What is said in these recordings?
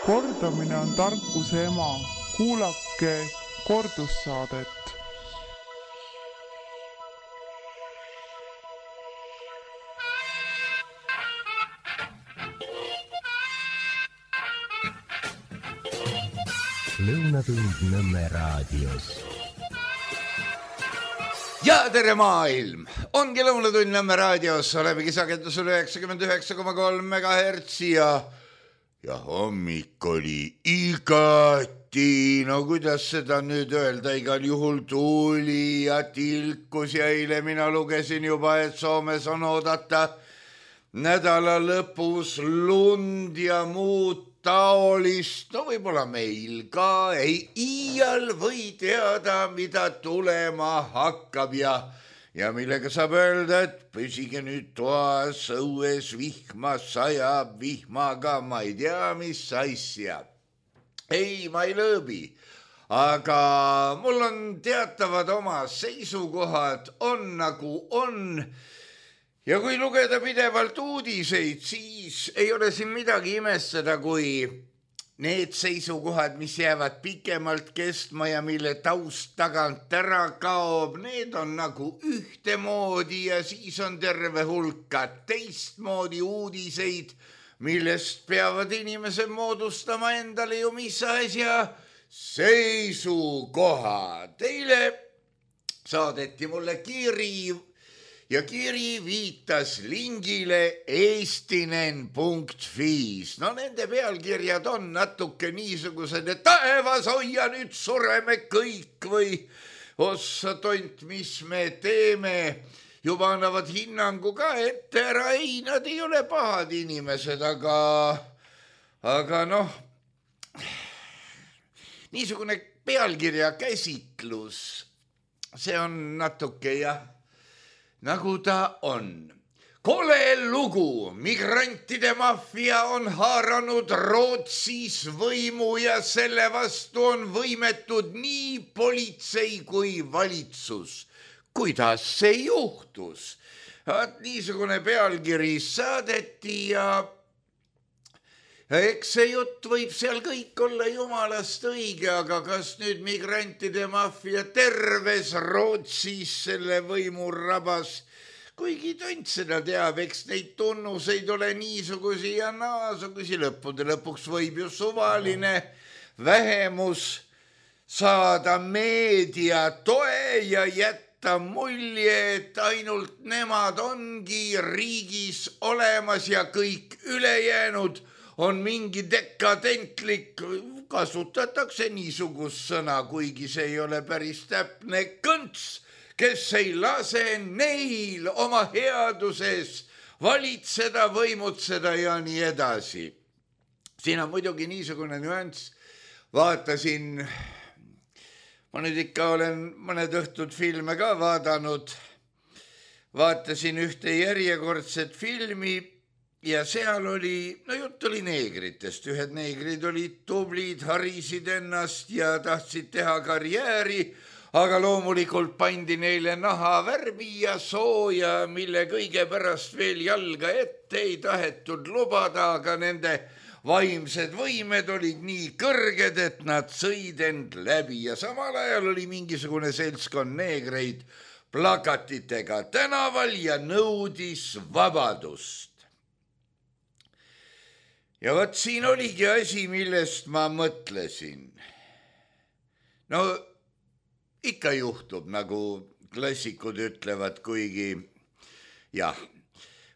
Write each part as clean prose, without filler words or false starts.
Kordamine on tarkuse ema. Kuulake kordussaadet. Lõunatund Nõmme raadios. Ja tere maailm! Ongi Lõunatund Nõmme raadios, olemegi sagedusel 99,3 MHz ja hommik oli igati, no kuidas seda nüüd öelda, igal juhul tuli ja tilkus ja eile mina lugesin juba, et Soomes on oodata nädala lõpus lund ja muud taolist, no võib-olla meil ka ei iial või teada, mida tulema hakkab ja millega saab öelda, et püsige nüüd toas, õues vihma sajab, vihmaga ma ei tea, mis asja. Ei, ma ei lõõbi, aga mul on teatavad oma seisukohad, on nagu on. Ja kui lugeda pidevalt uudiseid, siis ei ole siin midagi imestada, kui need seisukohad, mis jäävad pikemalt kestma ja mille taust tagant ära kaob, need on nagu ühtemoodi ja siis on terve hulka teistmoodi uudiseid, millest peavad inimesed moodustama endale ju mis asja seisukoha. Teile saadeti mulle kiri ja kiri viitas lingile eestinen.fi-s. No nende pealkirjad on natuke niisugused, et taevas hoia nüüd sureme kõik või ossa tont, mis me teeme. Juba annavad hinnangu ka ette ära, ei, nad ei ole pahad inimesed, aga noh, niisugune pealkirja käsitlus, see on natuke nagu ta on. Kole lugu, migrantide maffia on haaranud Rootsis võimu ja selle vastu on võimetud nii politsei kui valitsus. Kuidas see juhtus? Niisugune pealkiri saadeti ja eks see jutt võib seal kõik olla jumalast õige, aga kas nüüd migrantide maffia terves Rootsis selle võimu rabas, kuigi tont seda teab, eks neid tunnuseid ole niisugusi ja naasugusi, lõppude lõpuks võib ju suvaline vähemus saada meedia toe ja jätta mulje, et ainult nemad ongi riigis olemas ja kõik ülejäänud on mingi dekadentlik, kasutatakse niisugust sõna, kuigi see ei ole päris täpne, kõnts, kes ei lase neil oma headuses valitseda, võimutseda ja nii edasi. Siin on muidugi niisugune nüanss, vaatasin, ma nüüd ikka olen mõned õhtud filme ka vaatasin ühte järjekordset filmi, ja seal oli, no jutt oli neegritest, ühed neegrid olid tublid, harisid ennast ja tahtsid teha karjääri, aga loomulikult pandi neile nahavärvi ja sooja, mille kõige pärast veel jalga ette ei tahetud lubada, aga nende vaimsed võimed olid nii kõrged, et nad sõid end läbi ja samal ajal oli mingisugune seltskond neegreid plakatitega tänaval ja nõudis vabadust. Ja vot siin oligi asi, millest ma mõtlesin. No ikka juhtub, nagu klassikud ütlevad, kuigi jah.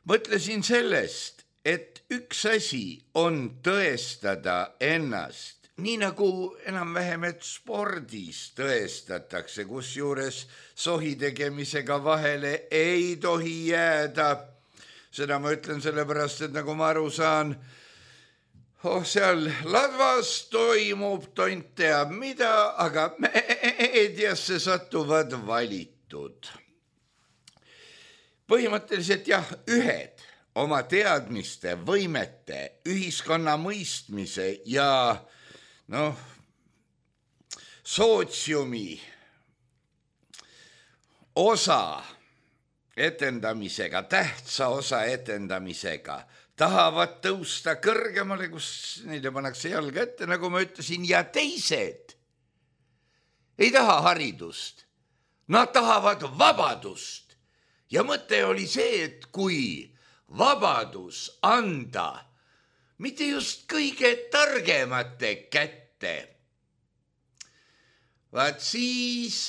Mõtlesin sellest, et üks asi on tõestada ennast, nii nagu enam-vähem, et spordis tõestatakse, kusjuures sohi tegemisega vahele ei tohi jääda. Seda ma ütlen sellepärast, et nagu ma aru saan, seal ladvas toimub tont teab mida, aga meediasse satuvad valitud. Põhimõtteliselt jah, ühed oma teadmiste, võimete, ühiskonna mõistmise ja sootsiumi osa etendamisega, tähtsa osa etendamisega tahavad tõusta kõrgemale, kus neile pannakse jalga ette, nagu ma ütlesin, ja teised ei taha haridust. Nad tahavad vabadust. Ja mõte oli see, et kui vabadus anda mitte just kõige targemate kätte, vaat siis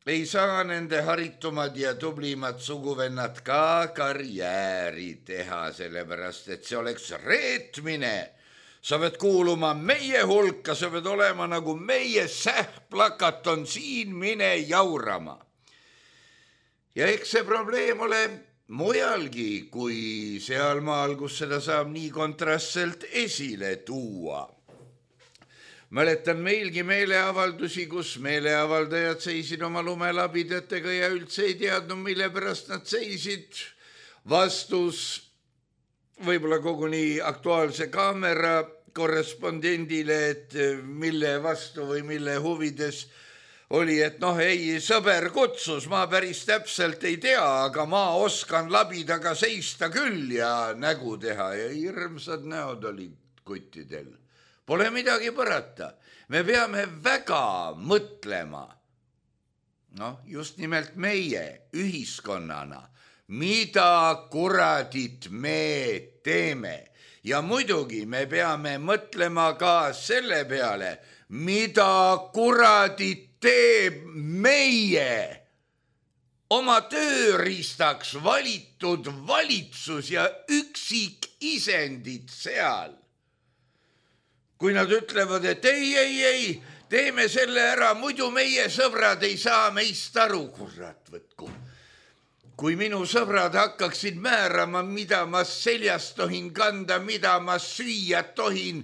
ei saa nende haritumad ja tublimad suguvennad ka karjääri teha, sellepärast et see oleks reetmine. Sa pead kuuluma meie hulka, sa pead olema nagu meie sähplakat on siin, mine jaurama. Ja eks see probleem ole mujalgi kui sealmaal, kus seda saab nii kontrastselt esile tuua. Mäletan meilgi meeleavaldusi, kus meeleavaldajad seisid oma lumelabidetega ja üldse ei teadnud, mille pärast nad seisid. Vastus võib-olla koguni Aktuaalse Kaamera korrespondendile, et mille vastu või mille huvides oli, et ei, sõber kutsus, ma päris täpselt ei tea, aga ma oskan labidaga seista küll ja nägu teha ja hirmsad näod olid kuttidel. Pole midagi parata. Me peame väga mõtlema, just nimelt meie ühiskonnana, mida kuradit me teeme. Ja muidugi me peame mõtlema ka selle peale, mida kuradit teeb meie oma tööriistaks valitud valitsus ja üksik isendid seal. Kui nad ütlevad, et ei, teeme selle ära, muidu meie sõbrad ei saa meist aru, kurat võtku. Kui minu sõbrad hakkaksid määrama, mida ma seljas tohin kanda, mida ma süüa tohin,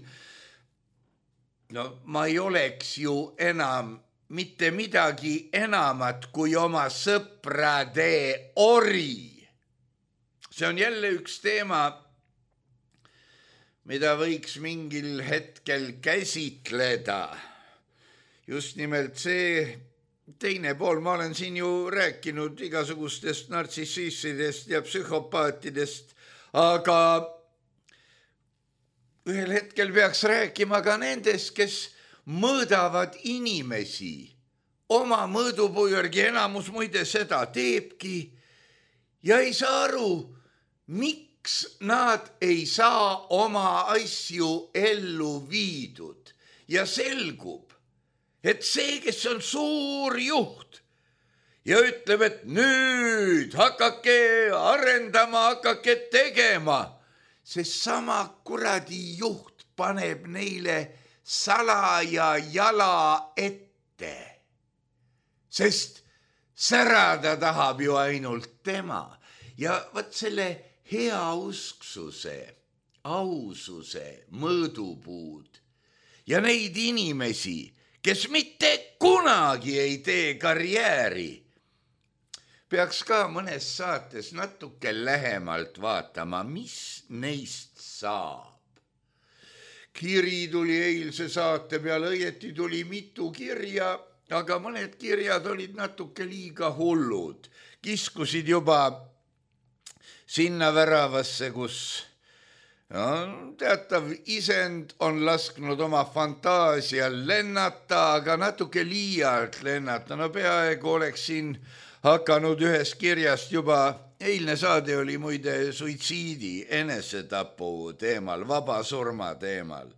ma ei oleks ju enam mitte midagi enamat kui oma sõprade ori. See on jälle üks teema, mida võiks mingil hetkel käsitleda. Just nimelt see teine pool, ma olen siin ju rääkinud igasugustest nartsissistidest ja psühhopaatidest, aga ühel hetkel peaks rääkima ka nendest, kes mõõdavad inimesi oma mõõdupuu järgi, enamus muide seda teebki ja ei saa aru, miks nad ei saa oma asju ellu viidud ja selgub, et see, kes on suur juht ja ütleb, et nüüd hakake arendama, hakake tegema, see sama kuradi juht paneb neile salaja jala ette, sest särada tahab ju ainult tema ja võt selle heausksuse, aususe mõõdupuud ja neid inimesi, kes mitte kunagi ei tee karjääri, peaks ka mõnes saates natuke lähemalt vaatama, mis neist saab. Kiri tuli eilse saate peale, õieti tuli mitu kirja, aga mõned kirjad olid natuke liiga hullud. Kiskusid juba sinna väravasse, kus teatav isend on lasknud oma fantaasial lennata, aga natuke liialt lennata. Peaaegu oleks siin hakanud ühest kirjast juba, eilne saade oli muide suitsiidi, enesetapu teemal, vabasurma teemal.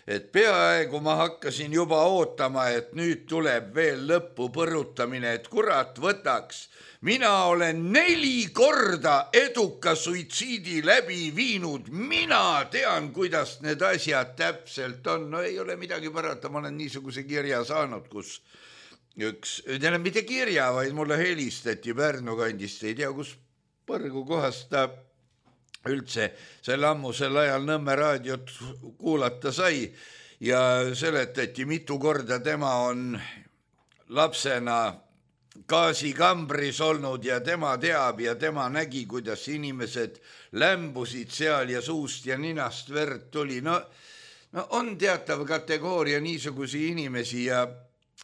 Et peaaegu ma hakkasin juba ootama, et nüüd tuleb veel lõppu põrutamine, et kurat võtaks. Mina olen 4 korda eduka suitsiidi läbi viinud. Mina tean, kuidas need asjad täpselt on. Ei ole midagi parata, ma olen niisuguse kirja saanud, kus mitte kirja, vaid mulle helistati Pärnu kandist, ei tea, kus põrgu kohast ta üldse sel ammusel ajal Nõmme raadiot kuulata sai ja seletati mitu korda, tema on lapsena gaasikambris olnud ja tema teab ja tema nägi, kuidas inimesed lämbusid seal ja suust ja ninast verd tuli. No on teatav kategooria niisugusi inimesi ja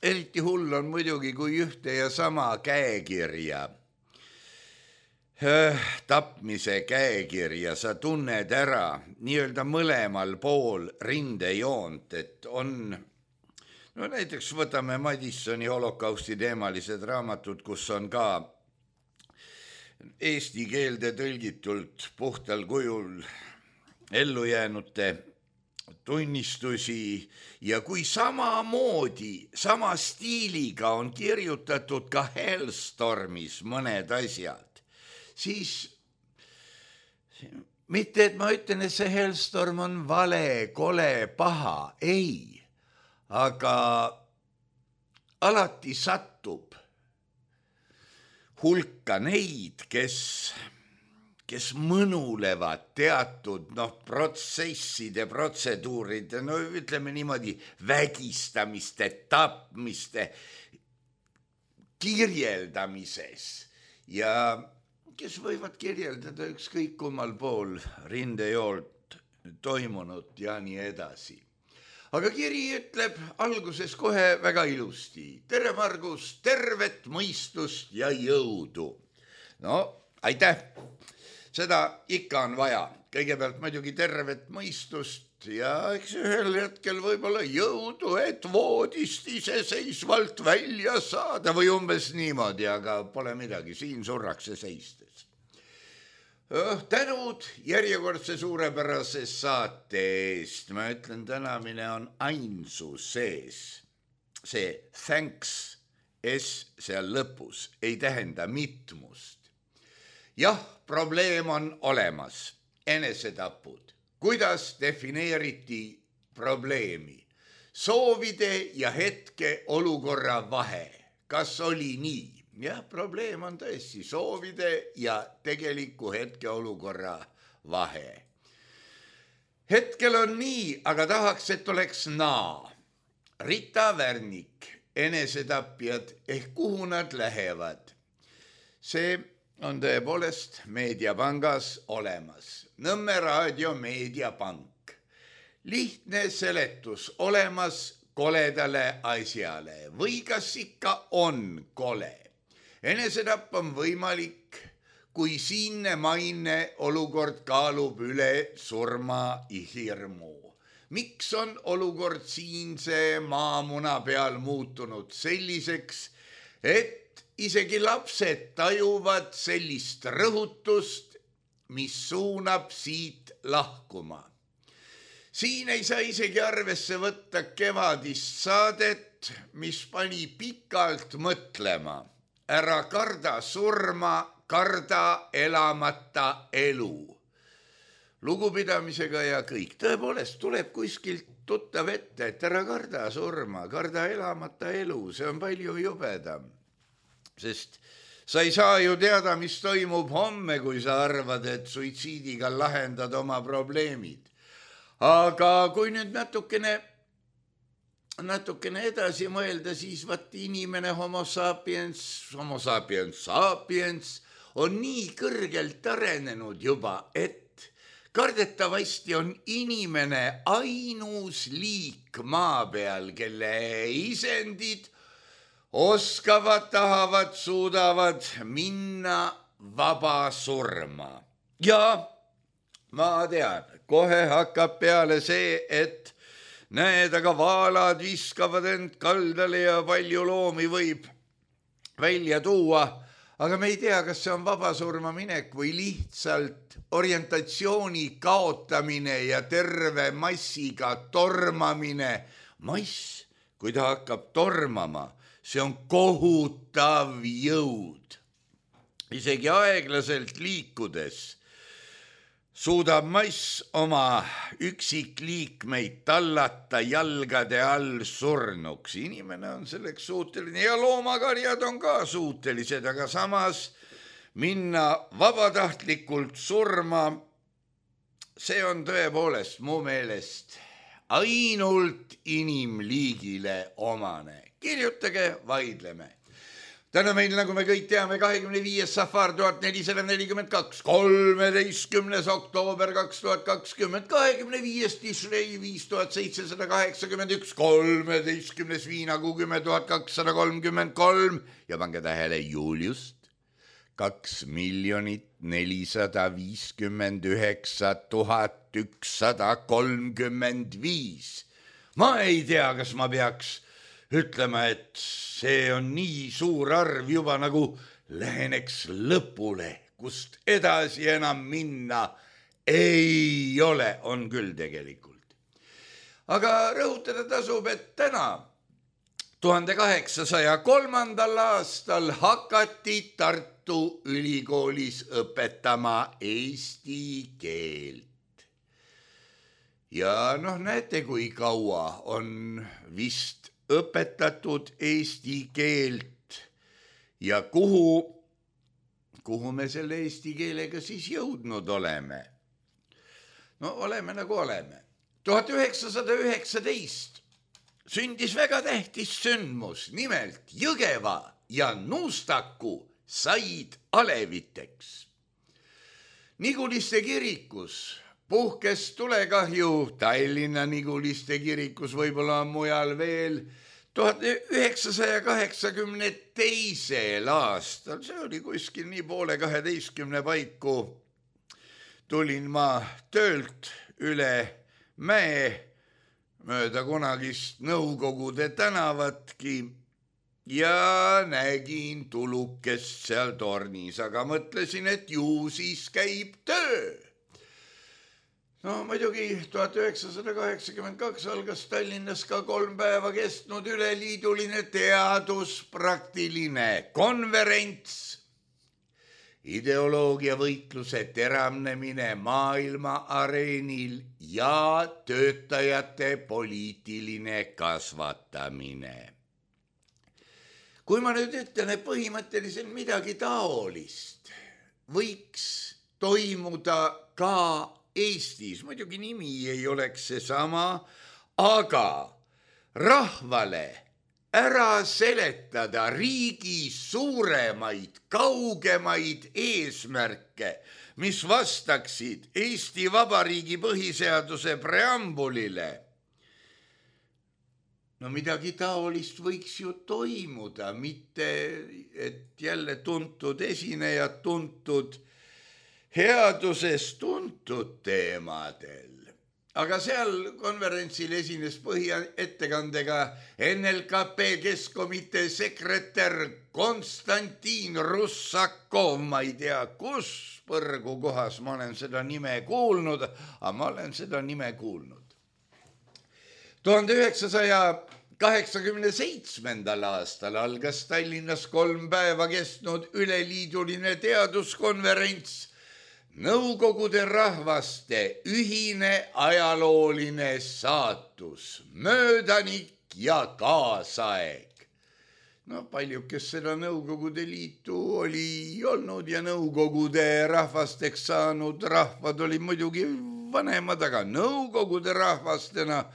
eriti hull on muidugi, kui ühte ja sama käekirja tapmise käekirja, sa tunned ära nii-öelda mõlemal pool rindejoont, et on, no näiteks võtame Madissoni holokausti teemalised raamatud, kus on ka eesti keelde tõlgitult puhtal kujul ellujäänute tunnistusi ja kui samamoodi, sama stiiliga on kirjutatud ka Hellstormis mõned asjad, siis mitte, et ma ütlen, et see Hellstorm on vale, kole, paha, ei, aga alati satub hulka neid, kes mõnulevad teatud protsesside, protseduuride, no ütleme niimoodi, vägistamiste, tapmiste kirjeldamises ja kes võivad kirjeldada ükskõik kummal pool rindejoolt toimunut ja nii edasi. Aga kiri ütleb alguses kohe väga ilusti. Tere, Margus, tervet mõistust ja jõudu. No, aitäh. Seda ikka on vaja. Kõigepealt muidugi tervet mõistust ja eks ühel hetkel võib-olla jõudu, et voodist iseseisvalt välja saada või umbes niimoodi, aga pole midagi, siin surrakse seistes. Tänud järjekordse suurepärase saate eest. Ma ütlen, tänamine on ainsus sees. See thanks S seal lõpus ei tähenda mitmust. Jah, probleem on olemas. Enesetapud. Kuidas defineeriti probleemi? Soovide ja hetke olukorra vahe. Kas oli nii? Jah, probleem on tõesti soovide ja tegeliku hetkeolukorra vahe. Hetkel on nii, aga tahaks, et oleks naa. Rita Värnik, enesetapjad, ehk kuhu nad lähevad. See on tõepoolest Meediapangas olemas. Nõmme raadio Meediapank. Lihtne seletus olemas koledale asjale või kas ikka on kole. Enesetapp on võimalik, kui siinne maine olukord kaalub üle surma hirmu. Miks on olukord siinse maamuna peal muutunud selliseks, et isegi lapsed tajuvad sellist rõhutust, mis suunab siit lahkuma? Siin ei saa isegi arvesse võtta kevadist saadet, mis pani pikalt mõtlema. Ära karda surma, karda elamata elu. Lugupidamisega ja kõik. Tõepoolest tuleb kuskilt tuttav ette, et ära karda surma, karda elamata elu. See on palju jubedam. Sest sa ei saa ju teada, mis toimub homme, kui sa arvad, et suitsiidiga lahendad oma probleemid. Aga kui nüüd natukene edasi mõelda, siis vaat inimene homo sapiens on nii kõrgelt arenenud juba, et kardetavasti on inimene ainus liik maa peal, kelle isendid oskavad, tahavad, suudavad minna vaba surma. Ja ma tean, kohe hakkab peale see, et näed, aga vaalad viskavad end kaldale ja palju loomi võib välja tuua, aga me ei tea, kas see on vabasurma minek või lihtsalt orientatsiooni kaotamine ja terve massiga tormamine. Mass, kui ta hakkab tormama, see on kohutav jõud. Isegi aeglaselt liikudes suudab mass oma üksikliikmeid tallata jalgade all surnuks. Inimene on selleks suuteline ja loomakarjad on ka suutelised, aga samas minna vabatahtlikult surma, see on tõepoolest mu meelest ainult inimliigile omane. Kirjutage, vaidleme. Täna meil, nagu me kõik teame, 25. safar 1442, 13. oktoober 2020, 25. Tishrei 5781, 13. viinakuu 10 233 ja pange tähele Juliust 2,459,135. Ma ei tea, kas ma peaks ütlema, et see on nii suur arv juba nagu läheneks lõpule, kust edasi enam minna ei ole, on küll tegelikult. Aga rõhutada tasub, et täna 1803. aastal hakati Tartu Ülikoolis õpetama eesti keelt. Ja näete, kui kaua on vist õpetatud eesti keelt ja kuhu me selle eesti keelega siis jõudnud oleme. Oleme nagu oleme. 1919 sündis väga tähtis sündmus, nimelt Jõgeva ja Nuustaku said aleviteks. Niguliste kirikus puhkes tulekahju, Tallinna Niguliste kirikus, võib-olla mujal veel, 1982. aastal, see oli kuskil nii 11:30 paiku, tulin ma töölt üle mäe mööda kunagist Nõukogude tänavatki ja nägin tulukest seal tornis, aga mõtlesin, et ju siis käib töö. Muidugi 1982 algas Tallinnas ka 3 päeva kestnud üleliiduline teaduspraktiline konverents. Ideoloogiavõitluse teravnemine maailma areenil ja töötajate poliitiline kasvatamine. Kui ma nüüd ütlen, et põhimõtteliselt midagi taolist võiks toimuda ka Eestis, muidugi nimi ei oleks seesama, aga rahvale ära seletada riigi suuremaid, kaugemaid eesmärke, mis vastaksid Eesti Vabariigi põhiseaduse preambulile. Midagi taolist võiks ju toimuda, mitte et jälle tuntud esinejad tuntud headuses tuntud teemadel. Aga seal konverentsil esines põhiettekandega NLKP Keskkomitee sekretär Konstantin Russakov. Ma ei tea, kus põrgu kohas ma olen seda nime kuulnud, aga ma olen seda nime kuulnud. 1987. aastal algas Tallinnas 3 päeva kestnud üleliiduline teaduskonverents Nõukogude rahvaste ühine ajalooline saatus, möödanik ja kaasaeg. Paljud, kes seda Nõukogude Liitu oli olnud ja Nõukogude rahvasteks saanud rahvad olid muidugi vanemad, aga Nõukogude rahvastena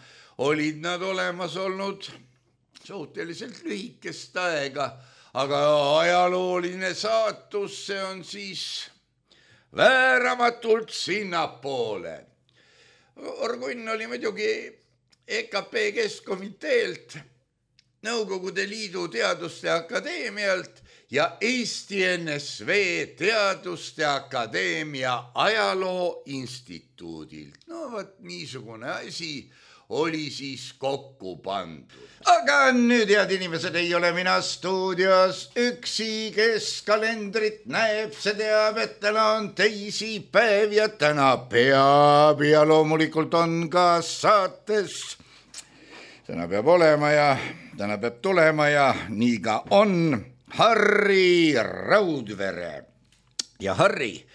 olid nad olemas olnud suhteliselt lühikest aega, aga ajalooline saatus, see on siis vääramatult sinnapoole. Orgunn oli muidugi EKP Keskkomiteelt, Nõukogude Liidu Teaduste Akadeemialt ja Eesti NSV Teaduste Akadeemia Ajaloo Instituudilt. Niisugune asi oli siis kokku pandud. Aga nüüd, head inimesed, ei ole mina stuudios üksi, kes kalendrit näeb, see teab, et täna on teisipäev ja täna peab ja loomulikult on ka saates. Täna peab olema ja täna peab tulema ja nii ka on Harri Raudvere. Ja Harri,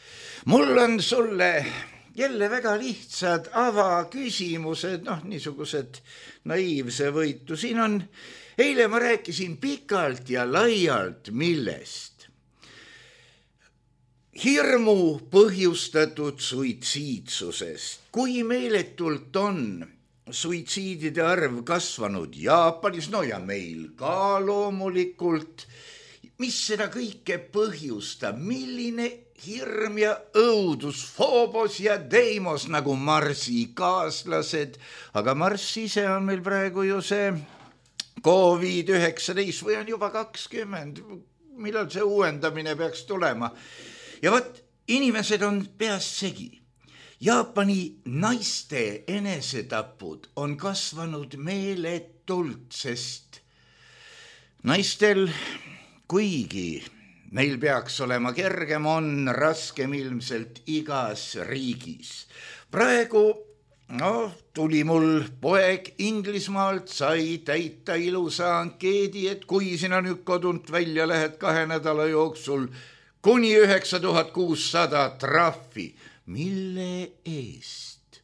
mul on sulle jälle väga lihtsad avaküsimused, niisugused naiivse võitu. Siin on, eile ma rääkisin pikalt ja laialt millest. Hirmu põhjustatud suitsiidsusest. Kui meeletult on suitsiidide arv kasvanud Jaapanis, ja meil ka loomulikult, mis seda kõike põhjustab, milline hirm ja õudus, Phobos ja Deimos nagu Marsi kaaslased, aga Marss ise on meil praegu ju see COVID-19 või on juba 20, millal see uuendamine peaks tulema. Ja võt, inimesed on peas segi. Jaapani naiste enesetapud on kasvanud meeletult, sest naistel, kuigi neil peaks olema kergem, on raskem ilmselt igas riigis. Praegu tuli mul poeg Inglismaalt, sai täita ilusa ankeedi, et kui sina nüüd kodunt välja lähed 2 nädala jooksul kuni 9600 trahvi, mille eest?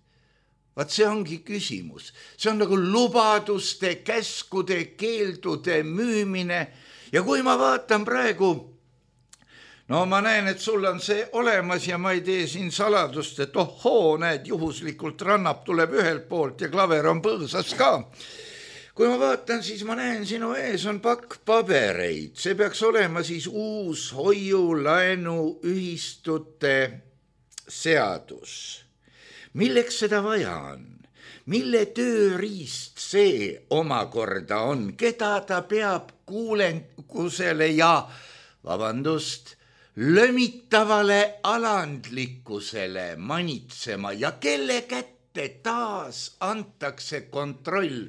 Vaat see ongi küsimus. See on nagu lubaduste, käskude, keeldude müümine. Ja kui ma vaatan praegu, ma näen, et sul on see olemas ja ma ei tee siin saladust, et näed, juhuslikult rannap tuleb ühelt poolt ja klaver on põõsas ka. Kui ma vaatan, siis ma näen, sinu ees on pakk pabereid. See peaks olema siis uus hoiulaenu ühistute seadus. Milleks seda vaja on? Mille tööriist see omakorda on? Keda ta peab kuulenkusele ja, lömitavale alandlikkusele manitsema ja kelle kätte taas antakse kontroll?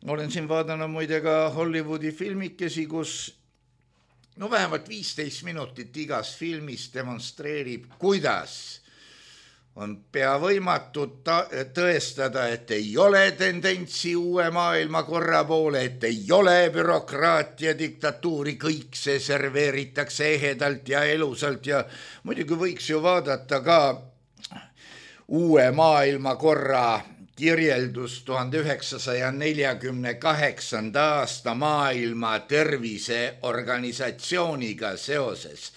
Olen siin vaadanud muide ka Hollywoodi filmikesi, kus vähemalt 15 minutit igas filmis demonstreerib, kuidas on pea võimatu tõestada, et ei ole tendentsi uue maailmakorra poole, et ei ole bürokraatia diktatuuri, kõik see serveeritakse ehedalt ja elusalt ja muidugi võiks ju vaadata ka uue maailmakorra kirjeldus 1948. aasta maailma terviseorganisatsiooniga seoses.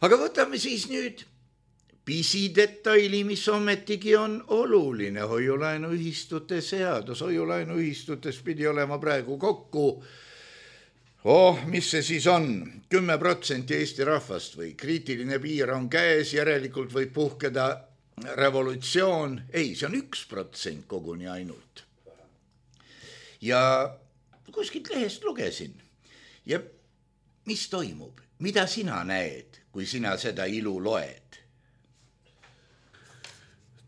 Aga võtame siis nüüd pisidetaili, mis ometigi on oluline, hoiulaenuühistute seadus. Hoiulaenuühistutes pidi olema praegu kokku, mis see siis on, 10% Eesti rahvast või kriitiline piir on käes, järelikult võib puhkeda revolutsioon. Ei, see on 1% koguni ainult. Ja kuskilt lehest lugesin. Ja mis toimub? Mida sina näed, kui sina seda ilu loed?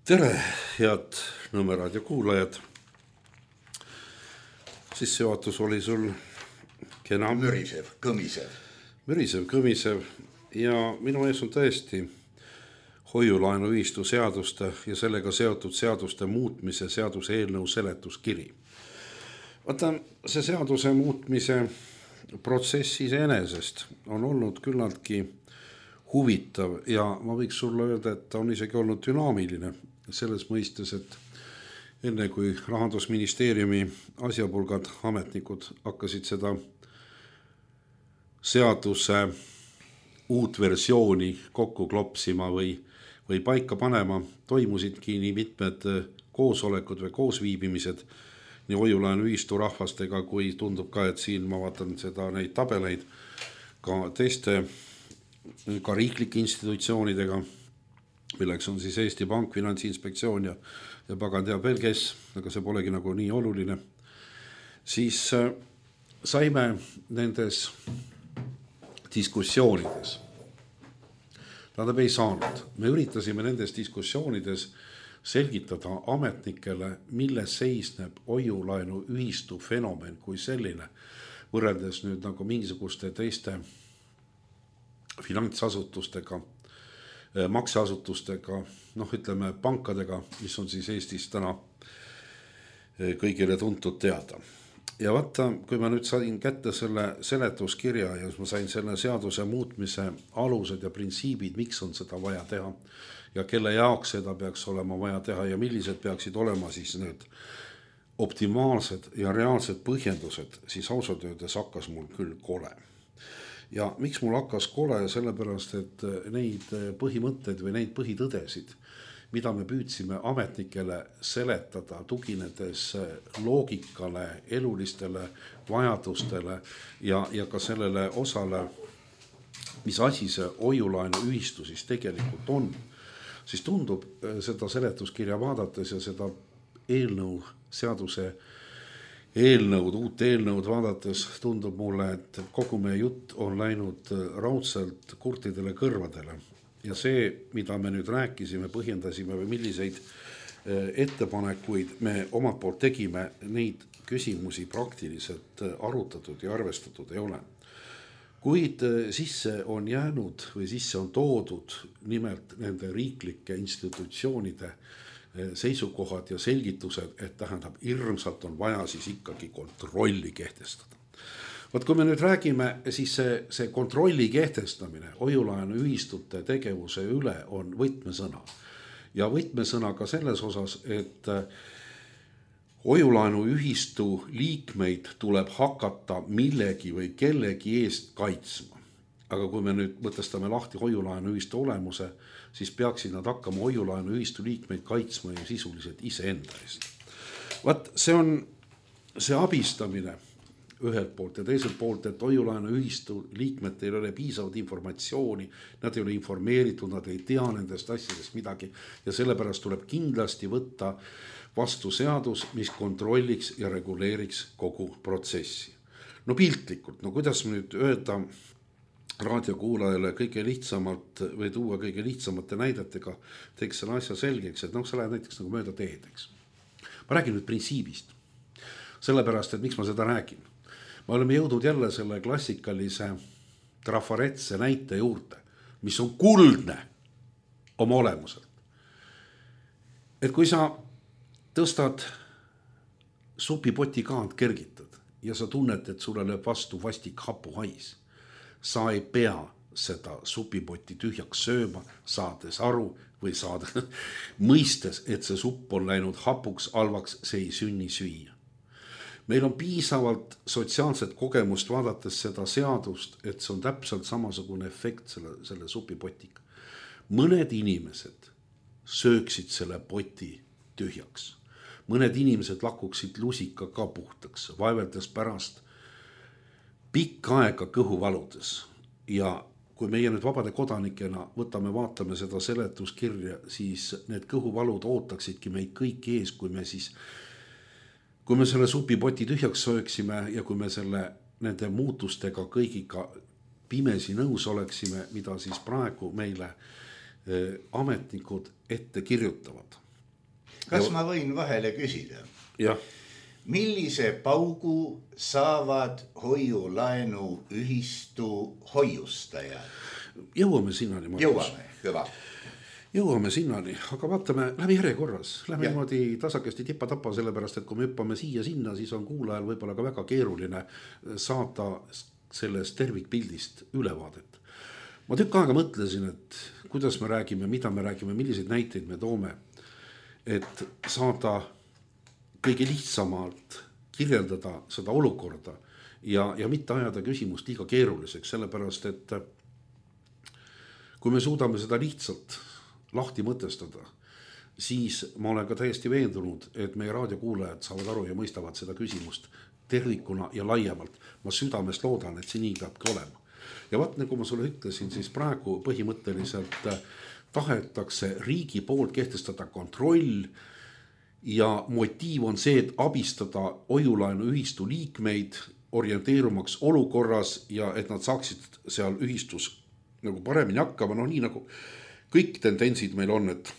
Tere, head Nõmme raadio kuulajad. Sissejuhatus oli sul kena. Mürisev, kõmisev. Ja minu ees on tõesti hoiulaenuühistu seaduste ja sellega seotud seaduste muutmise seaduse eelnõu seletuskiri. Vaata, see seaduse muutmise protsess iseenesest on olnud küllaltki huvitav ja ma võiks sulle öelda, et ta on isegi olnud dünaamiline selles mõistes, et enne kui Rahandusministeeriumi asjapulgad ametnikud hakkasid seda seaduse uut versiooni kokku klopsima või paika panema, toimusidki nii mitmed koosolekud või koosviibimised nii hoiulaenuühistu rahvastega, kui tundub ka, et siin ma vaatan neid tabeleid ka teiste, ka riiklike institutsioonidega, milleks on siis Eesti Pank, Finantsinspektsioon ja pagan teab veel kes, aga see polegi nagu nii oluline. Siis saime nendes diskussioonides, tähendab ei saanud, me üritasime nendes diskussioonides selgitada ametnikele, milles seisneb hoiulaenuühistu fenomen kui selline, võrreldes nüüd nagu mingisuguste teiste finantsasutustega, makseasutustega, ütleme pankadega, mis on siis Eestis täna kõigile tuntud teada. Ja vaata, kui ma nüüd sain kätte selle seletuskirja ja ma sain selle seaduse muutmise alused ja printsiibid, miks on seda vaja teha ja kelle jaoks seda peaks olema vaja teha ja millised peaksid olema siis need optimaalsed ja reaalsed põhjendused, siis ausalt öeldes hakkas mul küll kole. Ja miks mul hakkas kole, sellepärast, et neid põhimõtteid või neid põhitõdesid, mida me püüdsime ametnikele seletada, tuginedes loogikale, elulistele vajadustele ja ka sellele osale, mis asi see hoiulaenuühistu siis tegelikult on, siis tundub seda seletuskirja vaadates ja seda eelnõu seaduse uut eelnõud vaadates tundub mulle, et kogu meie jutt on läinud raudselt kurtidele kõrvadele. Ja see, mida me nüüd rääkisime, põhjendasime või milliseid ettepanekuid me omalt poolt tegime, neid küsimusi praktiliselt arutatud ja arvestatud ei ole. Kuid sisse on jäänud või sisse on toodud nimelt nende riiklike institutsioonide seisukohad ja selgitused, et tähendab, hirmsalt on vaja siis ikkagi kontrolli kehtestada. Võt, kui me nüüd räägime, siis see kontrolli kehtestamine hoiulaenu ühistute tegevuse üle on võtmesõna. Ja võtmesõna ka selles osas, et hoiulaenu ühistu liikmeid tuleb hakata millegi või kellegi eest kaitsma. Aga kui me nüüd mõtestame lahti hoiulaenu ühistu olemuse, siis peaksid nad hakkama hoiulaenu ühistu liikmeid kaitsma ju sisuliselt iseenda eest. Vaat see on see abistamine ühelt poolt ja teiselt poolt, et hoiulaenu ühistu liikmetel ei ole piisavat informatsiooni, nad ei ole informeeritud, nad ei tea nendest asjadest midagi ja sellepärast tuleb kindlasti võtta vastu seadus, mis kontrolliks ja reguleeriks kogu protsessi. No piltlikult, no kuidas nüüd öelda raadiokuulajale kõige lihtsamalt või tuua kõige lihtsamate näidetega, teeks selle asja selgeks, et sa lähed näiteks nagu mööda teed, eks. Ma räägin nüüd printsiibist, sellepärast, et miks ma seda räägin. Me oleme jõudnud jälle selle klassikalise trafaretse näite juurde, mis on kuldne oma olemuselt. Et kui sa tõstad supipoti kaant kergitad ja sa tunned, et sulle lööb vastu vastik hapuhais, sa ei pea seda supipoti tühjaks sööma, saades aru või mõistes, et see supp on läinud hapuks, halvaks, see ei sünni süüa. Meil on piisavalt sotsiaalset kogemust vaadates seda seadust, et see on täpselt samasugune efekt selle supipotiga. Mõned inimesed sööksid selle poti tühjaks. Mõned inimesed lakuksid lusika ka puhtaks, vaeveldes pärast pikka aega kõhuvaludes. Ja kui meie nüüd vabade kodanikena vaatame seda seletuskirja, siis need kõhuvalud ootaksidki meid kõik ees, kui me selle supipoti tühjaks sööksime ja kui me nende muutustega kõigiga pimesi nõus oleksime, mida siis praegu meile ametnikud ette kirjutavad. Kas ma võin vahele küsida? Jah. Millise paugu saavad hoiulaenu ühistu hoiustajad? Jõuame sinnani. Jõuame, hüva. Jõuame sinnani, aga vaatame läbi järjekorras. Lähme niimoodi tasakesti tippa-tappa, sellepärast, et kui me hüppame siia sinna, siis on kuulajal võib-olla ka väga keeruline saada sellest tervikpildist ülevaadet. Ma tükk aega mõtlesin, et kuidas me räägime, mida me räägime, milliseid näiteid me toome, et saada kõige lihtsamalt kirjeldada seda olukorda ja mitte ajada küsimust liiga keeruliseks, sellepärast, et kui me suudame seda lihtsalt lahti mõtestada, siis ma olen ka täiesti veendunud, et meie raadiokuulajad saavad aru ja mõistavad seda küsimust tervikuna ja laiemalt. Ma südamest loodan, et see nii peabki olema. Ja vaat, nagu ma sulle ütlesin, siis praegu põhimõtteliselt tahetakse riigi poolt kehtestada kontroll ja motiiv on see, et abistada hoiulaenu ühistu liikmeid orienteerumaks olukorras ja et nad saaksid seal ühistus nagu paremini hakkama, nii nagu kõik tendentsid meil on, et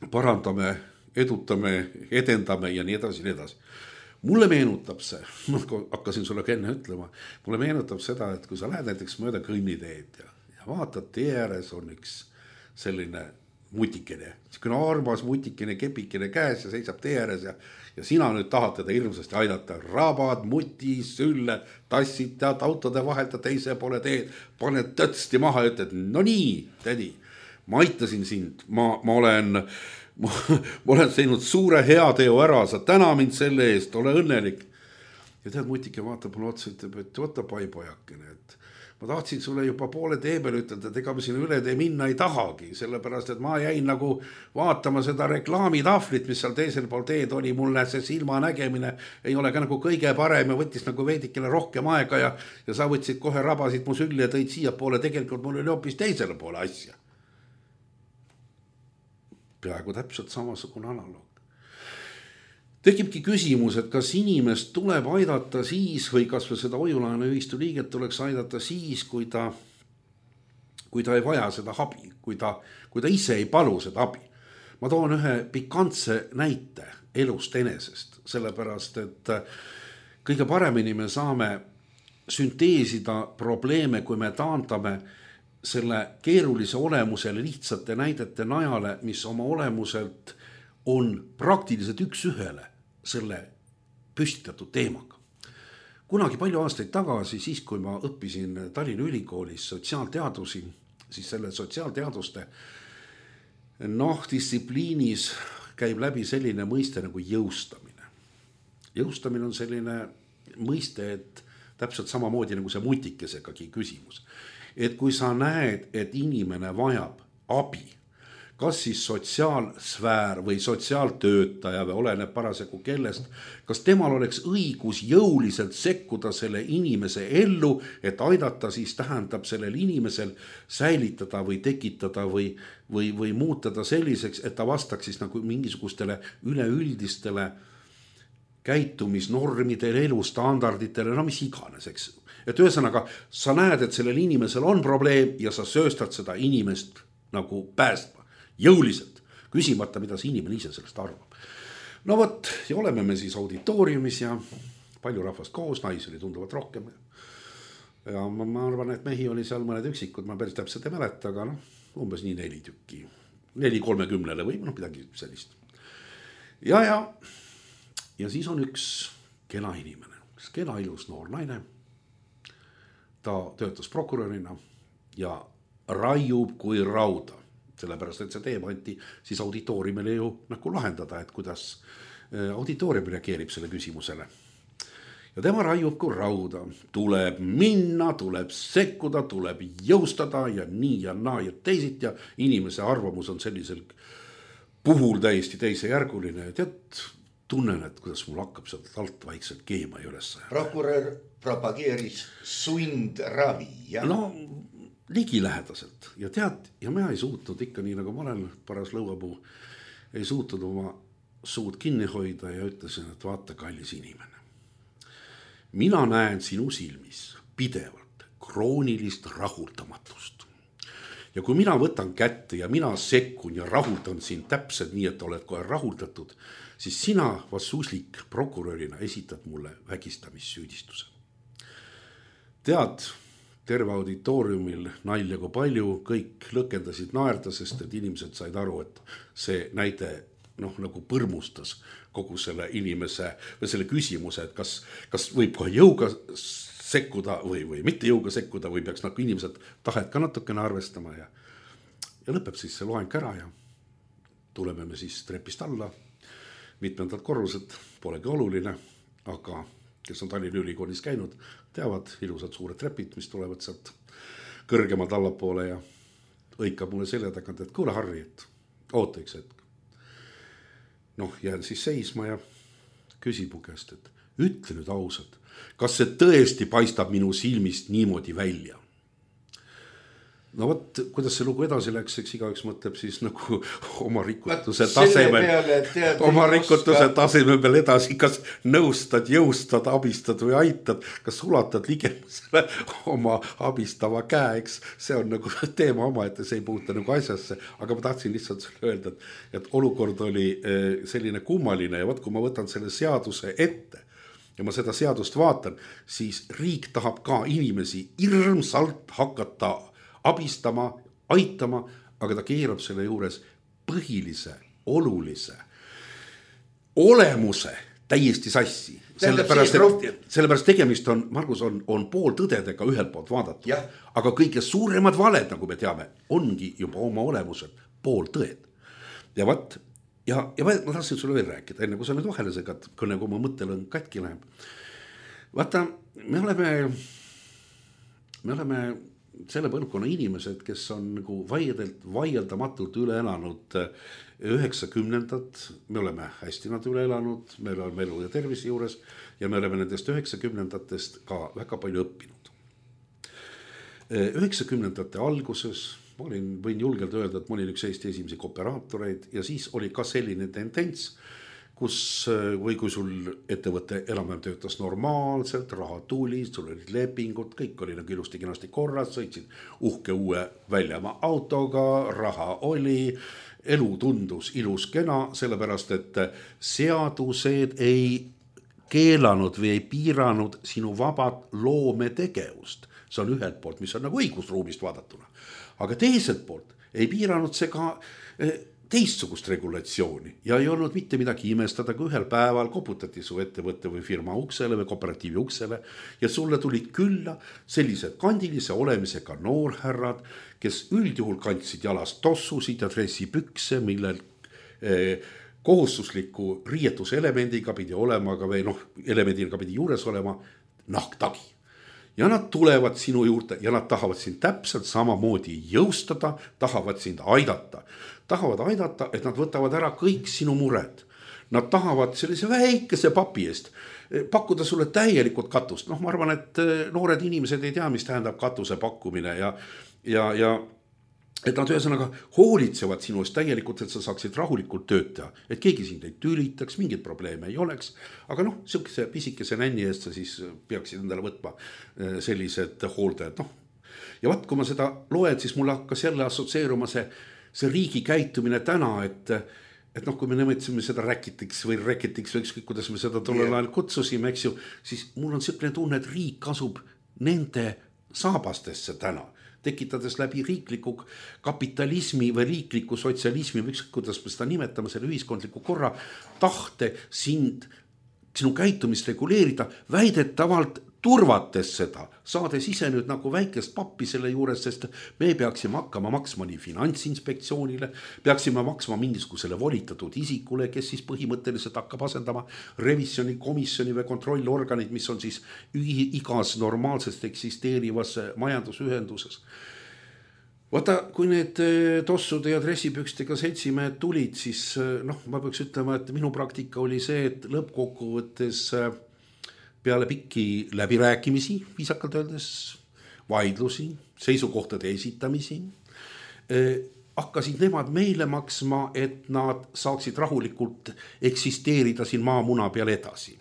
parandame, edutame, edendame ja nii edasi, nii edasi. Mulle meenutab see, ma hakkasin sulle enne ütlema, mulle meenutab seda, et kui sa lähed näiteks mööda kõnniteed ja vaatad, tee ääres on üks selline mutikene, selline armas mutikene, kepikene käes ja seisab tee ääres ja sina nüüd tahad teda hirmsasti aidata, rabad, muti, sülle, tassid tead autode vahelt ja teise poole teed, paned tõtsti maha ja ütled, no nii, tädi, ma aitasin sind, ma olen teinud suure heateo ära, sa täna mind selle eest, ole õnnelik. Ja tead, mutike vaatab mulle otsa, ütleb, et võta paipojakene, et ma tahtsin sulle juba poole tee peal ütelda, et ega me sinna üle tee minna ei tahagi, sellepärast, et ma jäin nagu vaatama seda reklaamitahvlit, mis seal teisel pool teed oli, mulle see silma nägemine ei ole ka nagu kõige parem ja võttis nagu veidikene rohkem aega ja sa võtsid kohe rabasid mu sülli ja tõid siia poole, tegelikult mul oli hoopis teisele poole asja. Peaaegu täpselt samasugune analoog. tekibki küsimus, et kas inimest tuleb aidata siis või kas või seda hoiulaenuühistu liiget tuleks aidata siis, kui ta ei vaja seda abi, kui ta ise ei palu seda abi. Ma toon ühe pikantse näite elust enesest, sellepärast, et kõige paremini me saame sünteesida probleeme, kui me taandame selle keerulise olemusele lihtsate näidete najale, mis oma olemuselt on praktiliselt üks-ühele selle püstitatud teemaga. Kunagi palju aastaid tagasi, siis kui ma õppisin Tallinna Ülikoolis sotsiaalteadusi, siis selle sotsiaalteaduste distsipliinis käib läbi selline mõiste nagu jõustamine. Jõustamine on selline mõiste, et täpselt samamoodi nagu see mutikesegagi küsimus. Et kui sa näed, et inimene vajab abi, kas siis sotsiaalsfäär või sotsiaaltöötaja või oleneb parasjagu kellest, kas temal oleks õigus jõuliselt sekkuda selle inimese ellu, et aidata siis tähendab sellel inimesel säilitada või tekitada või muutada selliseks, et ta vastaks siis nagu mingisugustele üleüldistele käitumisnormidele, elustandarditele, no mis iganes, eks. Et ühesõnaga, sa näed, et sellel inimesel on probleem ja sa sööstad seda inimest nagu päästma, jõuliselt, küsimata, mida see inimene ise sellest arvab. No võt, ja oleme me siis auditooriumis ja palju rahvast koos, naisi oli tunduvalt rohkem. Ja ma arvan, et mehi oli seal mõned üksikud, ma päris täpselt ei mäleta, aga umbes nii 4 tükki, 4-30 või midagi sellist. Ja siis on üks kena inimene, kena ilus noor naine. Ta töötas prokurörina ja raiub kui rauda, sellepärast, et see teema anti siis auditooriumile ju nagu lahendada, et kuidas auditoorium reageerib selle küsimusele. Ja tema raiub kui rauda, tuleb minna, tuleb sekkuda, tuleb jõustada ja nii ja naa ja teisit ja inimese arvamus on sellisel puhul täiesti teisejärguline, et tunnen, et kuidas mul hakkab sealt alt vaikselt keema üles. Prokurör propageeris sundravi, jah? No ligilähedaselt ja tead, ja ma ei suutnud ikka nii nagu ma olen paras lõuapuu, ei suutnud oma suud kinni hoida ja ütlesin, et vaata, kallis inimene. Mina näen sinu silmis pidevalt kroonilist rahuldamatust. Ja kui mina võtan kätte ja mina sekkun ja rahuldan sind täpselt nii, et oled kohe rahuldatud, siis sina vassuslik prokurörina esitad mulle vägistamissüüdistuse. Tead, terve auditooriumil nalja kui palju, kõik lõkendasid naerda, sest et inimesed said aru, et see näide nagu põrmustas kogu selle inimese või selle küsimuse, et kas võib kohe jõuga sekkuda või mitte jõuga sekkuda või peaks nagu inimesed tahet ka natukene arvestama ja lõpeb siis see loeng ära ja tuleme me siis trepist alla, mitmendad korrused, polegi oluline, aga kes on Tallinna Ülikoolis käinud, teavad ilusad suured trepid, mis tulevad sealt kõrgemad allapoole ja õikab mulle selja tagant, et kuule Harri, et oota üks hetk. Jään siis seisma ja küsib mu käest, et ütle nüüd ausalt, kas see tõesti paistab minu silmist niimoodi välja? No vot, kuidas see lugu edasi läks, eks igaüks mõtleb siis nagu oma rikutuse tasemel peal edasi, kas nõustad, jõustad, abistad või aitad, kas ulatad ligemusele oma abistava käe, eks see on nagu teema oma, et see ei puuta nagu asjasse, aga ma tahtsin lihtsalt sulle öelda, et olukord oli selline kummaline ja kui ma võtan selle seaduse ette ja ma seda seadust vaatan, siis riik tahab ka inimesi hirmsalt hakata abistama, aitama, aga ta keerab selle juures põhilise, olulise olemuse täiesti sassi. Sellepärast tegemist on, Margus, on pooltõdedega ühelt poolt vaadatud, aga kõige suuremad valed, nagu me teame, ongi juba oma olemuselt pooltõed. Ja ma tahtsin sulle veel rääkida, enne kui sa nüüd vahele segad, kui nagu oma mõttelõng katki läheb. Vaata, me oleme selle põlvkonna inimesed, kes on nagu vaieldamatult üle elanud 90-ndad, me oleme hästi nad üle elanud, me oleme elu ja tervise juures ja me oleme nendest 90-ndatest ka väga palju õppinud. 90-ndate alguses võin julgelt öelda, et ma olin üks Eesti esimesi operaatoreid ja siis oli ka selline tendents, või kui sul ettevõte enam-vähem töötas normaalselt, raha tuli, sul olid lepingud, kõik oli nagu ilusti kenasti korras, sõitsid uhke uue väljamaa autoga, raha oli, elu tundus ilus kena, sellepärast et seadused ei keelanud või ei piiranud sinu vabat loometegevust. See on ühelt poolt, mis on nagu õigusruumist vaadatuna. Aga teiselt poolt ei piiranud see ka teistsugust regulatsiooni ja ei olnud mitte midagi imestada, kui ühel päeval koputati su ettevõtte või firma uksele või kooperatiivi uksele ja sulle tulid külla sellised kandilise olemisega noorhärrad, kes üldjuhul kandsid jalast tossusid ja dressipükse, millel kohustusliku riietuselemendiga pidi olema, või elemendiga pidi juures olema nahktagi. Ja nad tulevad sinu juurde ja nad tahavad sind täpselt samamoodi jõustada, tahavad sind aidata. Tahavad aidata, et nad võtavad ära kõik sinu mured. Nad tahavad sellise väikese papi eest pakkuda sulle täielikult katust. Ma arvan, et noored inimesed ei tea, mis tähendab katuse pakkumine ja et nad ühesõnaga hoolitsevad sinu eest täielikult, et sa saaksid rahulikult tööd teha, et keegi sind ei tülitaks, mingit probleeme ei oleks. Aga sihukese pisikese nänni eest sa siis peaksid endale võtma sellised hooldajad. Ja vaat, kui ma seda loen, siis mulle hakkas jälle assotsieeruma see riigi käitumine täna, et kui me nimetsime seda räkitiks või ükskõik, kuidas me seda tollel ajal kutsusime, eks ju, siis mul on selline tunne, et riik asub nende saabastesse täna, tekitades läbi riikliku kapitalismi või riikliku sotsialismi või ükskõik, kuidas me seda nimetame, selle ühiskondliku korra tahte sinu käitumist reguleerida, väidetavalt turvates seda, saades ise nüüd nagu väikest pappi selle juures, sest me peaksime hakkama maksma nii Finantsinspektsioonile, peaksime maksma mingisugusele volitatud isikule, kes siis põhimõtteliselt hakkab asendama revisjonikomisjoni või kontrollorganid, mis on siis igas normaalsest eksisteerivas majandusühenduses. Vaata, kui need tossude ja dressipükstega seltsimehed tulid, siis ma peaks ütlema, et minu praktika oli see, et lõppkokkuvõttes peale pikki läbirääkimisi, viisakalt öeldes, vaidlusi, seisukohtade esitamisi, hakkasid nemad meile maksma, et nad saaksid rahulikult eksisteerida siin maamuna peal edasi.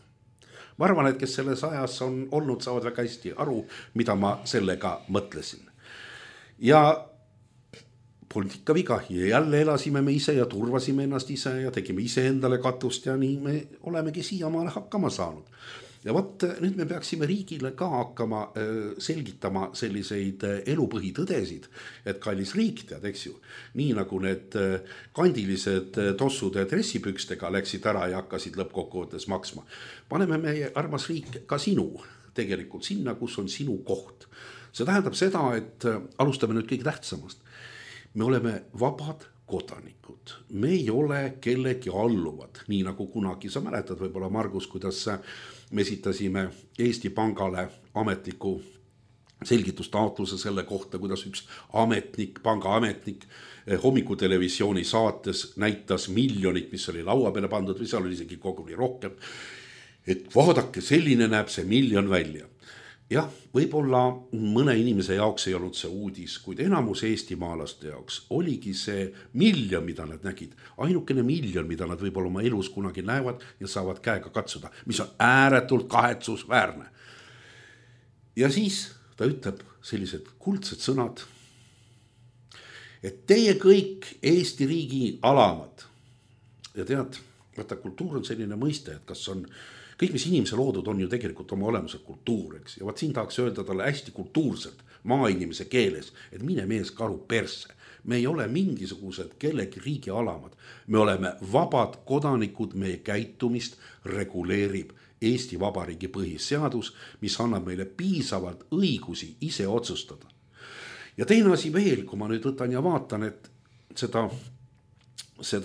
Ma arvan, et kes selles ajas on olnud, saavad väga hästi aru, mida ma sellega mõtlesin. Ja polnud ikka viga ja jälle elasime me ise ja turvasime ennast ise ja tegime ise endale katust ja nii me olemegi siiamaale hakkama saanud. Ja vot nüüd me peaksime riigile ka hakkama selgitama selliseid elupõhitõdesid, et kallis riik tead, eks ju, nii nagu need kandilised tossud ja dressipükstega läksid ära ja hakkasid lõppkokkuvõttes maksma. Paneme meie armas riik ka sinu tegelikult sinna, kus on sinu koht. See tähendab seda, et alustame nüüd kõige tähtsamast. Me oleme vabad kodanikud. Me ei ole kellegi alluvad, nii nagu kunagi. Sa mäletad võib-olla, Margus, kuidas me esitasime Eesti Pangale ametliku selgitustaotluse selle kohta, kuidas üks ametnik, pangaametnik hommikutelevisiooni saates näitas miljonit, mis oli laua peale pandud või seal oli isegi koguni rohkem. Et vaadake, selline näeb see miljon välja. Jah, võib-olla mõne inimese jaoks ei olnud see uudis, kuid enamus eestimaalaste jaoks oligi see miljon, mida nad nägid. Ainukene miljon, mida nad võib-olla oma elus kunagi näevad ja saavad käega katsuda, mis on ääretult kahetsusväärne. Ja siis ta ütleb sellised kuldsed sõnad, et teie kõik Eesti riigi alamad. Ja tead, vaata, kultuur on selline mõiste, et kas on kõik, mis inimese loodud on ju tegelikult oma olemuselt kultuur, eks. Ja vaat siin tahaks öelda talle hästi kultuurselt, maainimese keeles, et mine mees karu perse. Me ei ole mingisugused kellegi riigi alamad. Me oleme vabad kodanikud, meie käitumist reguleerib Eesti Vabariigi põhiseadus, mis annab meile piisavalt õigusi ise otsustada. Ja teine asi veel, kui ma nüüd võtan ja vaatan, et seda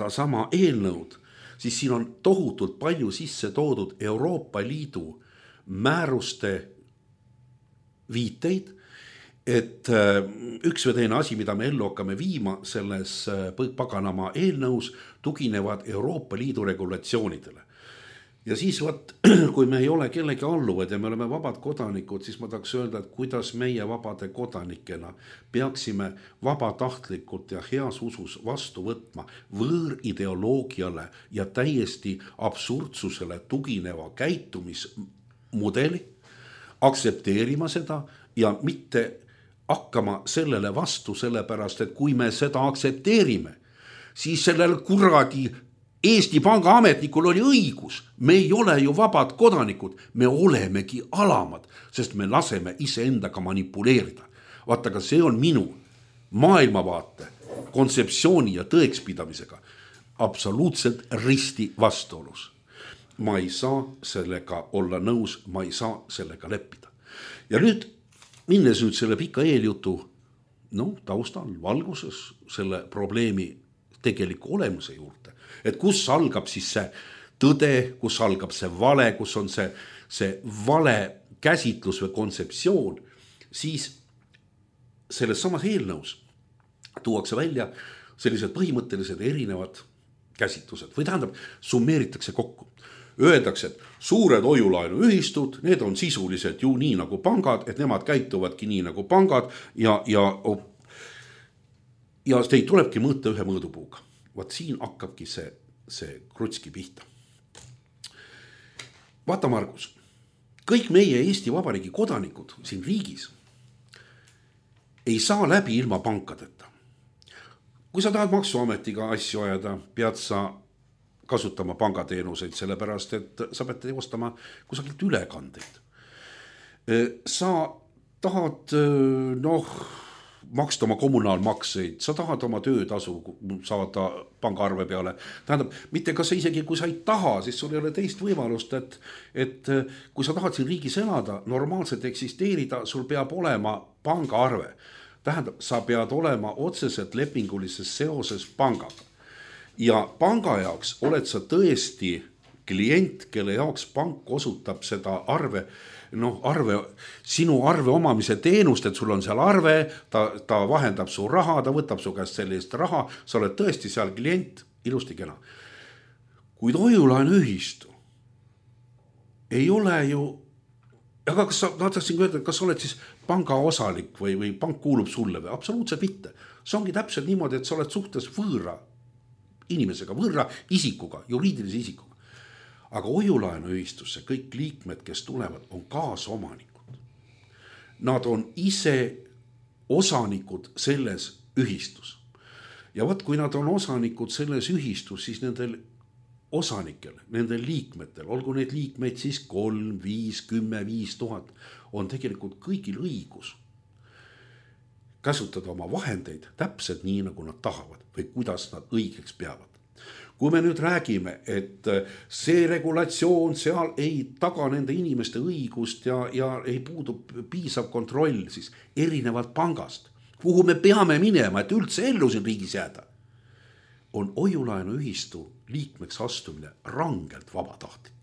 sama eelnõud, siis siin on tohutult palju sisse toodud Euroopa Liidu määruste viiteid, et üks või teine asi, mida me ellu hakkame viima selles paganama eelnõus, tuginevad Euroopa Liidu regulatsioonidele. ja siis võt, kui me ei ole kellegi alluvad ja me oleme vabad kodanikud, siis ma tahaks öelda, et kuidas meie vabade kodanikena peaksime vabatahtlikult ja heas usus vastu võtma võõrideoloogiale ja täiesti absurdsusele tugineva käitumismudeli, aktsepteerima seda ja mitte hakkama sellele vastu, sellepärast, et kui me seda aktsepteerime, siis sellel kuradi Eesti Panga ametnikul oli õigus, me ei ole ju vabad kodanikud, me olemegi alamad, sest me laseme iseendaga manipuleerida. Vaata, aga see on minu maailmavaate, kontseptsiooni ja tõekspidamisega absoluutselt risti vastuolus. Ma ei saa sellega olla nõus, ma ei saa sellega leppida. Ja nüüd, minnes nüüd selle pika eeljutu, taustal, valguses selle probleemi tegeliku olemuse juurde, et kus algab siis see tõde, kus algab see vale, kus on see vale käsitlus või kontseptsioon, siis selles samas eelnõus tuuakse välja sellised põhimõttelised erinevad käsitlused või tähendab, summeeritakse kokku. Öeldakse, et suured hoiulaenuühistud, need on sisuliselt ju nii nagu pangad, et nemad käituvadki nii nagu pangad ja teid tulebki mõõta ühe mõõdupuuga. Vaat siin hakkabki see krutski pihta. Vaata, Margus, kõik meie Eesti Vabariigi kodanikud siin riigis ei saa läbi ilma pankadeta. Kui sa tahad maksuametiga asju ajada, pead sa kasutama pangateenuseid, sellepärast, et sa pead teostama kusagilt ülekandeid. Sa tahad, maksta oma kommunaalmakseid, sa tahad oma töötasu saada pangaarve peale. Tähendab, mitte kas isegi kui sa ei taha, siis sul ei ole teist võimalust, et kui sa tahad siin riigis elada, normaalselt eksisteerida, sul peab olema pangaarve. Tähendab, sa pead olema otseselt lepingulises seoses pangaga. Ja panga jaoks oled sa tõesti klient, kelle jaoks pank osutab seda sinu arve omamise teenust, et sul on seal arve, ta vahendab su raha, ta võtab su käest sellist raha, sa oled tõesti seal klient, ilusti kena. Kuid hoiulaenuühistu ei ole ju, aga kas sa tahtsin öelda, kas oled siis panga osalik või pank kuulub sulle või? Absoluutselt mitte. See ongi täpselt niimoodi, et sa oled suhtes võõra inimesega, võõra isikuga, juriidilise isikuga. Aga hoiulaenuühistusse kõik liikmed, kes tulevad, on kaasomanikud. Nad on ise osanikud selles ühistus. Ja vaat, kui nad on osanikud selles ühistus, siis nendel osanikel, nendel liikmetel, olgu need liikmeid siis 3, 5, 10, 5000, on tegelikult kõigil õigus käsutada oma vahendeid täpselt nii, nagu nad tahavad või kuidas nad õigeks peavad. Kui me nüüd räägime, et see regulatsioon seal ei taga nende inimeste õigust ja ei puudu piisav kontroll, siis erinevalt pangast, kuhu me peame minema, et üldse ellu siin riigis jääda, on hoiulaenuühistu liikmeks astumine rangelt vabatahtlik.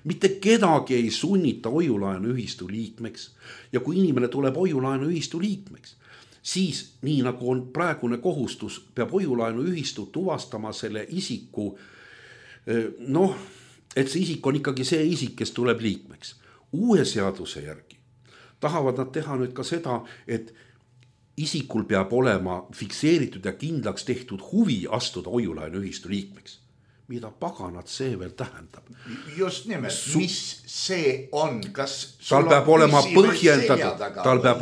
Mitte kedagi ei sunnita hoiulaenuühistu liikmeks ja kui inimene tuleb hoiulaenuühistu liikmeks, siis nii nagu on praegune kohustus, peab hoiulaenuühistu tuvastama selle isiku, et see isik on ikkagi see isik, kes tuleb liikmeks. Uue seaduse järgi tahavad nad teha nüüd ka seda, et isikul peab olema fikseeritud ja kindlaks tehtud huvi astuda hoiulaenuühistu liikmeks. Mida paganat see veel tähendab? Just nimelt, mis see on? Tal peab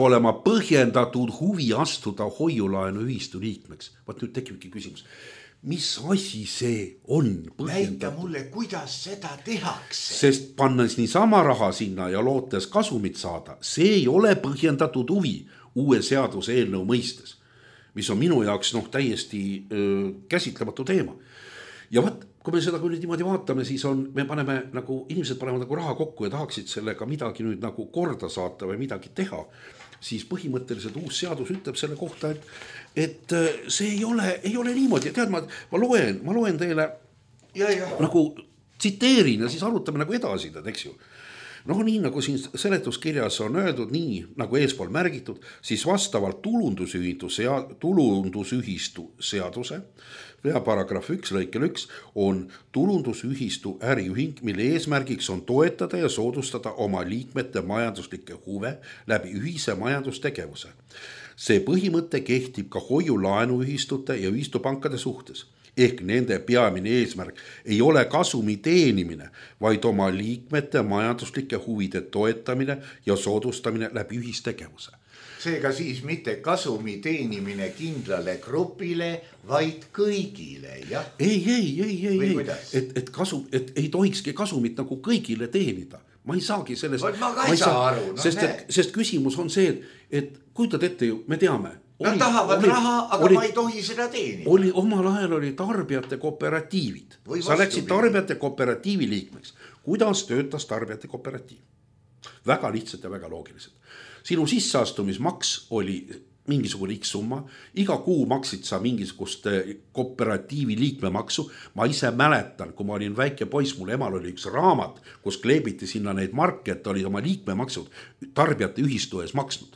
olema põhjendatud huvi astuda hoiulaenuühistu liikmeks. Vaat nüüd tekibki küsimus. Mis asi see on põhjendatud? Näita mulle, kuidas seda tehakse. Sest pannes niisama raha sinna ja lootes kasumit saada, see ei ole põhjendatud huvi uue seaduse eelnõu mõistes, mis on minu jaoks täiesti käsitlematu teema. Ja vaat, kui me seda kui niimoodi vaatame, siis me paneme inimesed panevad raha kokku ja tahaksid sellega midagi nüüd korda saata või midagi teha, siis põhimõtteliselt uus seadus ütleb selle kohta, et see ei ole niimoodi. Tead, ma loen teile tsiteerin ja siis arutame edasi, eks ju. No nii nagu siin seletuskirjas on öeldud, nii nagu eespool märgitud, siis vastavalt tulundusühistu seaduse paragrahv 1 lõikel 1 on tulundusühistu äriühing, mille eesmärgiks on toetada ja soodustada oma liikmete majanduslikke huve läbi ühise majandustegevuse. See põhimõte kehtib ka hoiulaenuühistute ja ühistupankade suhtes. Ehk nende peamine eesmärk ei ole kasumi teenimine, vaid oma liikmete majanduslike huvide toetamine ja soodustamine läbi ühistegevuse. Seega siis mitte kasumi teenimine kindlale grupile, vaid kõigile, jah? Ei. Et ei tohikski kasumit nagu kõigile teenida. Ma ei saagi sellest... Ma ka ei saa aru. Sest küsimus on see, et kujutad ette ju, me teame... Nad tahavad raha, aga ma ei tohi seda teenida. Omal ajal oli tarbijate kooperatiivid. Sa läksid tarbijate kooperatiivi liikmeks. Kuidas töötas tarbijate kooperatiiv? Väga lihtsalt ja väga loogiliselt. Sinu sisseastumismaks oli mingisugune X summa. Iga kuu maksid sa mingisugust kooperatiivi liikmemaksu. Ma ise mäletan, kui ma olin väike poiss, mul emal oli üks raamat, kus kleebiti sinna neid marke, et olid oma liikmemaksud tarbijate ühistu ees maksnud.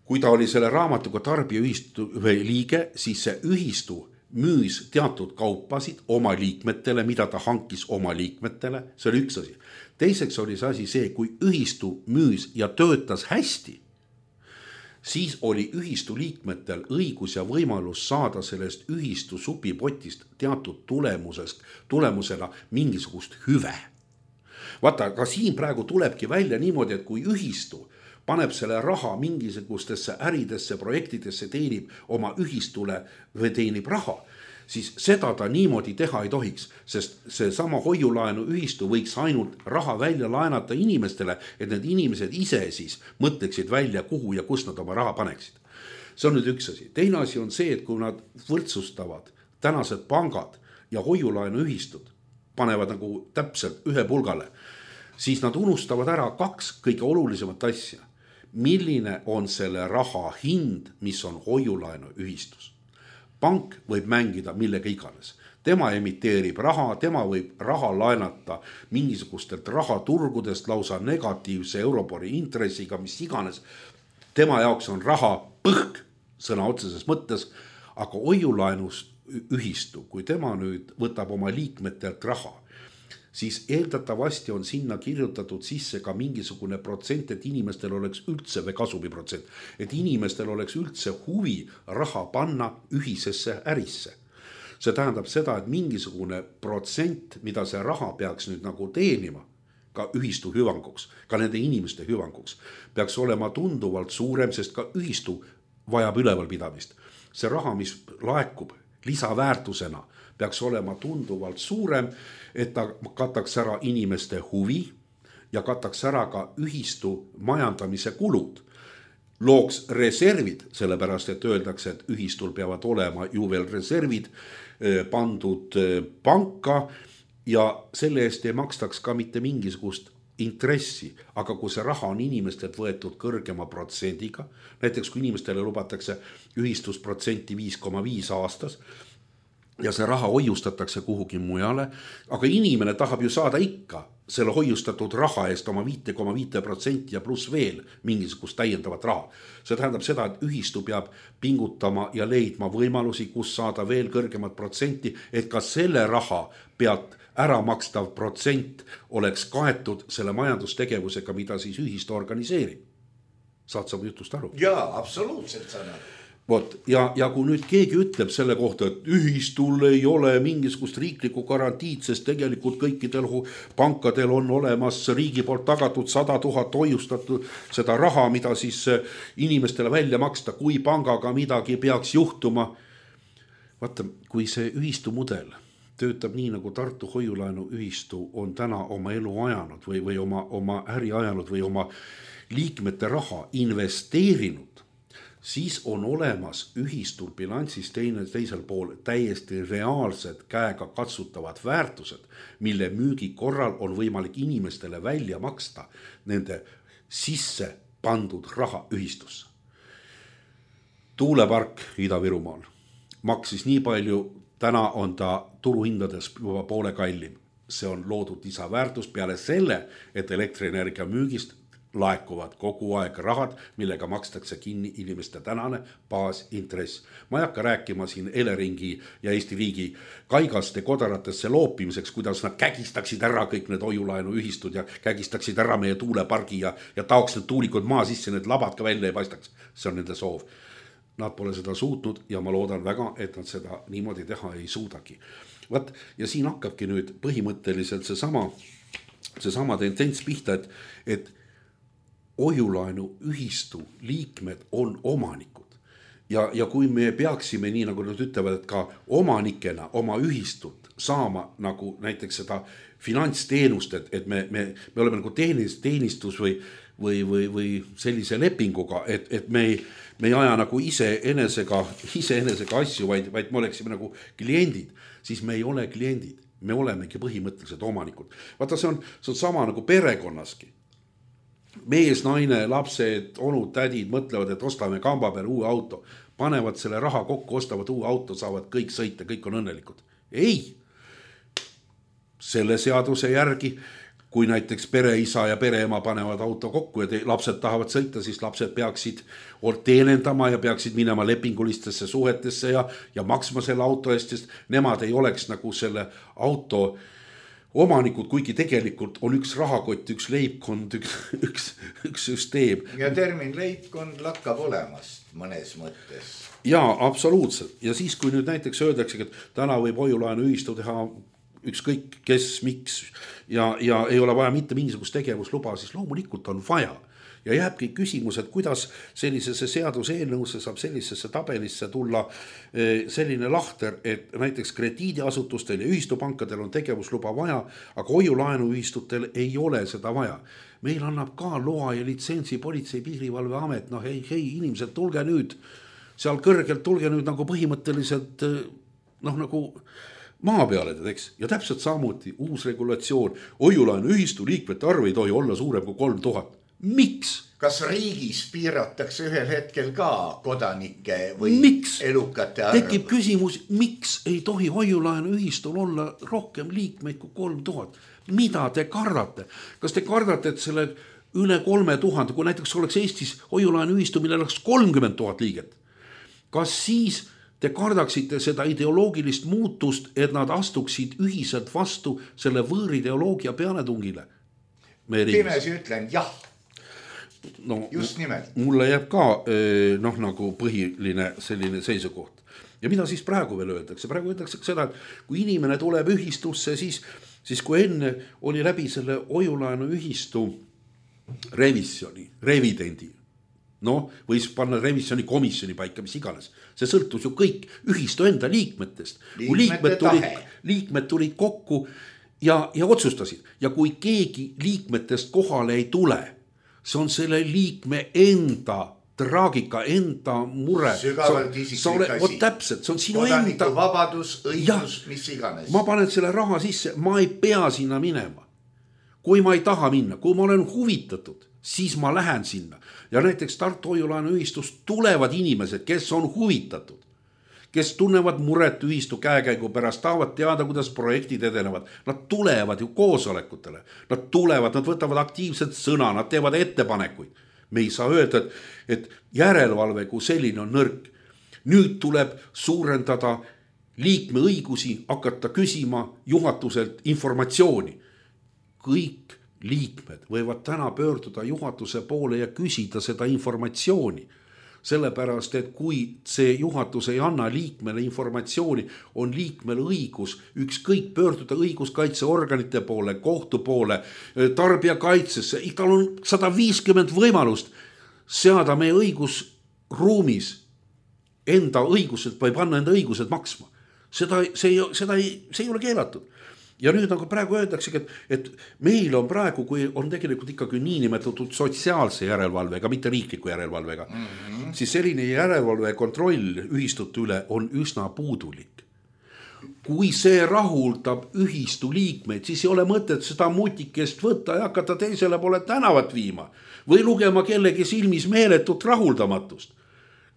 Kui ta oli selle raamatuga tarbijaühistu liige, siis see ühistu müüs teatud kaupasid oma liikmetele, mida ta hankis oma liikmetele. See oli üks asi. Teiseks oli see asi see, kui ühistu müüs ja töötas hästi, siis oli ühistu liikmetel õigus ja võimalus saada sellest ühistu supipotist teatud tulemusena mingisugust hüve. Vaata, ka siin praegu tulebki välja niimoodi, et kui ühistu paneb selle raha mingisugustesse äridesse, projektidesse, teenib oma ühistule või teenib raha, siis seda ta niimoodi teha ei tohiks, sest see sama hoiulaenu ühistu võiks ainult raha välja laenata inimestele, et need inimesed ise siis mõtleksid välja, kuhu ja kus nad oma raha paneksid. See on nüüd üks asi. Teine asi on see, et kui nad võrdsustavad tänased pangad ja hoiulaenu ühistud, panevad nagu täpselt ühe pulgale, siis nad unustavad ära kaks kõige olulisemat asja. Milline on selle raha hind, mis on hoiulaenu ühistus? Pank võib mängida millega iganes. Tema emiteerib raha, tema võib raha laenata mingisugustelt rahaturgudest lausa negatiivse Euribori intressiga, mis iganes. Tema jaoks on raha põhk sõna otseses mõttes, aga hoiulaenus ühistu, kui tema nüüd võtab oma liikmetelt raha, siis eeldatavasti on sinna kirjutatud sisse ka mingisugune protsent, et inimestel oleks üldse või kasumiprotsent, et inimestel oleks üldse huvi raha panna ühisesse ärisse. See tähendab seda, et mingisugune protsent, mida see raha peaks nüüd nagu teenima, ka ühistu hüvanguks, ka nende inimeste hüvanguks, peaks olema tunduvalt suurem, sest ka ühistu vajab ülevalpidamist. See raha, mis laekub lisaväärtusena, peaks olema tunduvalt suurem, et ta kataks ära inimeste huvi ja kataks ära ka ühistu majandamise kulud. Looks reservid, sellepärast et öeldakse, et ühistul peavad olema ju veel reservid pandud panka ja selle eest ei makstaks ka mitte mingisugust intressi, aga kui see raha on inimestelt võetud kõrgema protsendiga, näiteks kui inimestele lubatakse ühistusprotsenti 5,5 aastas, ja see raha hoiustatakse kuhugi mujale, aga inimene tahab ju saada ikka selle hoiustatud raha eest oma 5,5% ja pluss veel mingisugust täiendavat raha. See tähendab seda, et ühistu peab pingutama ja leidma võimalusi, kus saada veel kõrgemat protsenti, et ka selle raha pealt ära makstav protsent oleks kaetud selle majandustegevusega, mida siis ühistu organiseerib. Saad sa jutust aru? Jaa, absoluutselt saan aru. Vot, ja kui nüüd keegi ütleb selle kohta, et ühistul ei ole mingisugust riiklikku garantiid, sest tegelikult kõikidel pankadel on olemas riigi poolt tagatud 100 000 hoiustatud seda raha, mida siis inimestele välja maksta, kui pangaga midagi peaks juhtuma. Vaata, kui see ühistu mudel töötab nii, nagu Tartu hoiulaenu ühistu on täna oma elu ajanud või oma äri ajanud või oma liikmete raha investeerinud, siis on olemas ühistul bilansis teisel pool täiesti reaalsed käega katsutavad väärtused, mille müügi korral on võimalik inimestele välja maksta nende sisse pandud raha ühistusse. Tuulepark Ida-Virumaal maksis nii palju, täna on ta turuhindades juba poole kallim. see on loodud lisaväärtus peale selle, et elektrienergia müügist laekuvad kogu aeg rahad, millega makstakse kinni inimeste tänane baasintress. Ma ei hakka rääkima siin Eleringi ja Eesti riigi kaigaste kodaratesse loopimiseks, kuidas nad kägistaksid ära kõik need hoiulaenuühistud ja kägistaksid ära meie tuulepargi ja taoks need tuulikud maa sisse, need labad ka välja ei paistaks. See on nende soov. Nad pole seda suutnud ja ma loodan väga, et nad seda niimoodi teha ei suudagi. Vat, ja siin hakkabki nüüd põhimõtteliselt seesama tendents pihta, et hoiulaenu ühistu liikmed on omanikud. Ja kui me peaksime, nii nagu nad ütlevad, et ka omanikena oma ühistut saama nagu näiteks seda finantsteenust, et me oleme nagu teenistus või sellise lepinguga, et me ei aja nagu iseenesega asju, vaid me oleksime nagu kliendid, siis me ei ole kliendid. Me olemegi põhimõtteliselt omanikud. Vaata, see on sama nagu perekonnaski. Mees, naine, lapsed, onud, tädid mõtlevad, et ostame kamba peale uue auto, panevad selle raha kokku, ostavad uue auto, saavad kõik sõita, kõik on õnnelikud. Ei, selle seaduse järgi, kui näiteks pereisa ja pereema panevad auto kokku ja lapsed tahavad sõita, siis lapsed peaksid teenendama ja peaksid minema lepingulistesse suhetesse ja maksma selle auto eest, sest nemad ei oleks nagu selle auto omanikud, kuigi tegelikult on üks rahakott, üks leibkond, üks süsteem. Ja termin leibkond lakkab olemast mõnes mõttes. Jaa, absoluutselt. Ja siis, kui nüüd näiteks öeldakse, et täna võib hoiulaenu ühistu teha ükskõik kes, miks ja ei ole vaja mitte mingisugust tegevusluba, siis loomulikult on vaja. Ja jääbki küsimus, et kuidas sellisesse seaduseelnõusse saab sellisesse tabelisse tulla selline lahter, et näiteks krediidiasutustel ja ühistupankadel on tegevusluba vaja, aga hoiulaenuühistutel ei ole seda vaja. Meil annab ka loa ja litsentsi Politsei- ja Piirivalveamet, hei, inimesed, tulge nüüd seal kõrgelt, tulge nüüd nagu põhimõtteliselt nagu maa peale, eks? Ja täpselt samuti uus regulatsioon, hoiulaenuühistu liikmete arv ei tohi olla suurem kui 3000. Miks? Kas riigis piiratakse ühel hetkel ka kodanike või elukate arv? Tekib küsimus, miks ei tohi hoiulaenuühistul olla rohkem liikmeid kui 3000? Mida te kardate? Kas te kardate, et selle üle 3000, kui näiteks oleks Eestis hoiulaenuühistu, millel oleks 30 000 liiget? Kas siis te kardaksite seda ideoloogilist muutust, et nad astuksid ühiselt vastu selle võõrideoloogia pealetungile? Pimesi ütlen jah. No, just nimelt. Mulle jääb ka nagu põhiline selline seisukoht. Ja mida siis praegu veel öeldakse? Praegu öeldakse seda, et kui inimene tuleb ühistusse, siis kui enne oli läbi selle hoiulaenu ühistu revidendi, võis panna revisjoni komisjoni paika, mis iganes. See sõltus ju kõik ühistu enda liikmetest. Kui liikmed tulid kokku ja otsustasid. Ja kui keegi liikmetest kohale ei tule, see on selle liikme enda traagika, enda mure. Sügavalt isiklik asi. Täpselt, see on sinu Kodaniku vabadus, õigus, mis iganes. Ma panen selle raha sisse, ma ei pea sinna minema. Kui ma ei taha minna, kui ma olen huvitatud, siis ma lähen sinna. Ja näiteks Tartu hoiulaenuühistust tulevad inimesed, kes on huvitatud, kes tunnevad muret ühistu käekäigu pärast, tahavad teada, kuidas projektid edenevad. Nad tulevad ju koosolekutele. Nad võtavad aktiivselt sõna, nad teevad ettepanekuid. Me ei saa öelda, et järelevalve kui selline on nõrk. Nüüd tuleb suurendada liikme õigusi, hakata küsima juhatuselt informatsiooni. Kõik liikmed võivad täna pöörduda juhatuse poole ja küsida seda informatsiooni. Sellepärast, et kui see juhatus ei anna liikmele informatsiooni, on liikmel õigus ükskõik pöörduda õiguskaitseorganite poole, kohtu poole, tarbijakaitsesse. Tal on 150 võimalust seada meie õigusruumis enda õigused või panna enda õigused maksma. See ei ole keelatud. Ja nüüd nagu praegu öeldaksegi, et meil on praegu, kui on tegelikult ikkagi niinimetatud sotsiaalse järelevalvega, mitte riikliku järelevalvega, siis selline järelevalve kontroll ühistute üle on üsna puudulik. Kui see rahuldab ühistu liikmeid, siis ei ole mõtet seda mutikest võtta ja hakata teisele poole tänavat viima või lugema kellegi silmis meeletut rahuldamatust.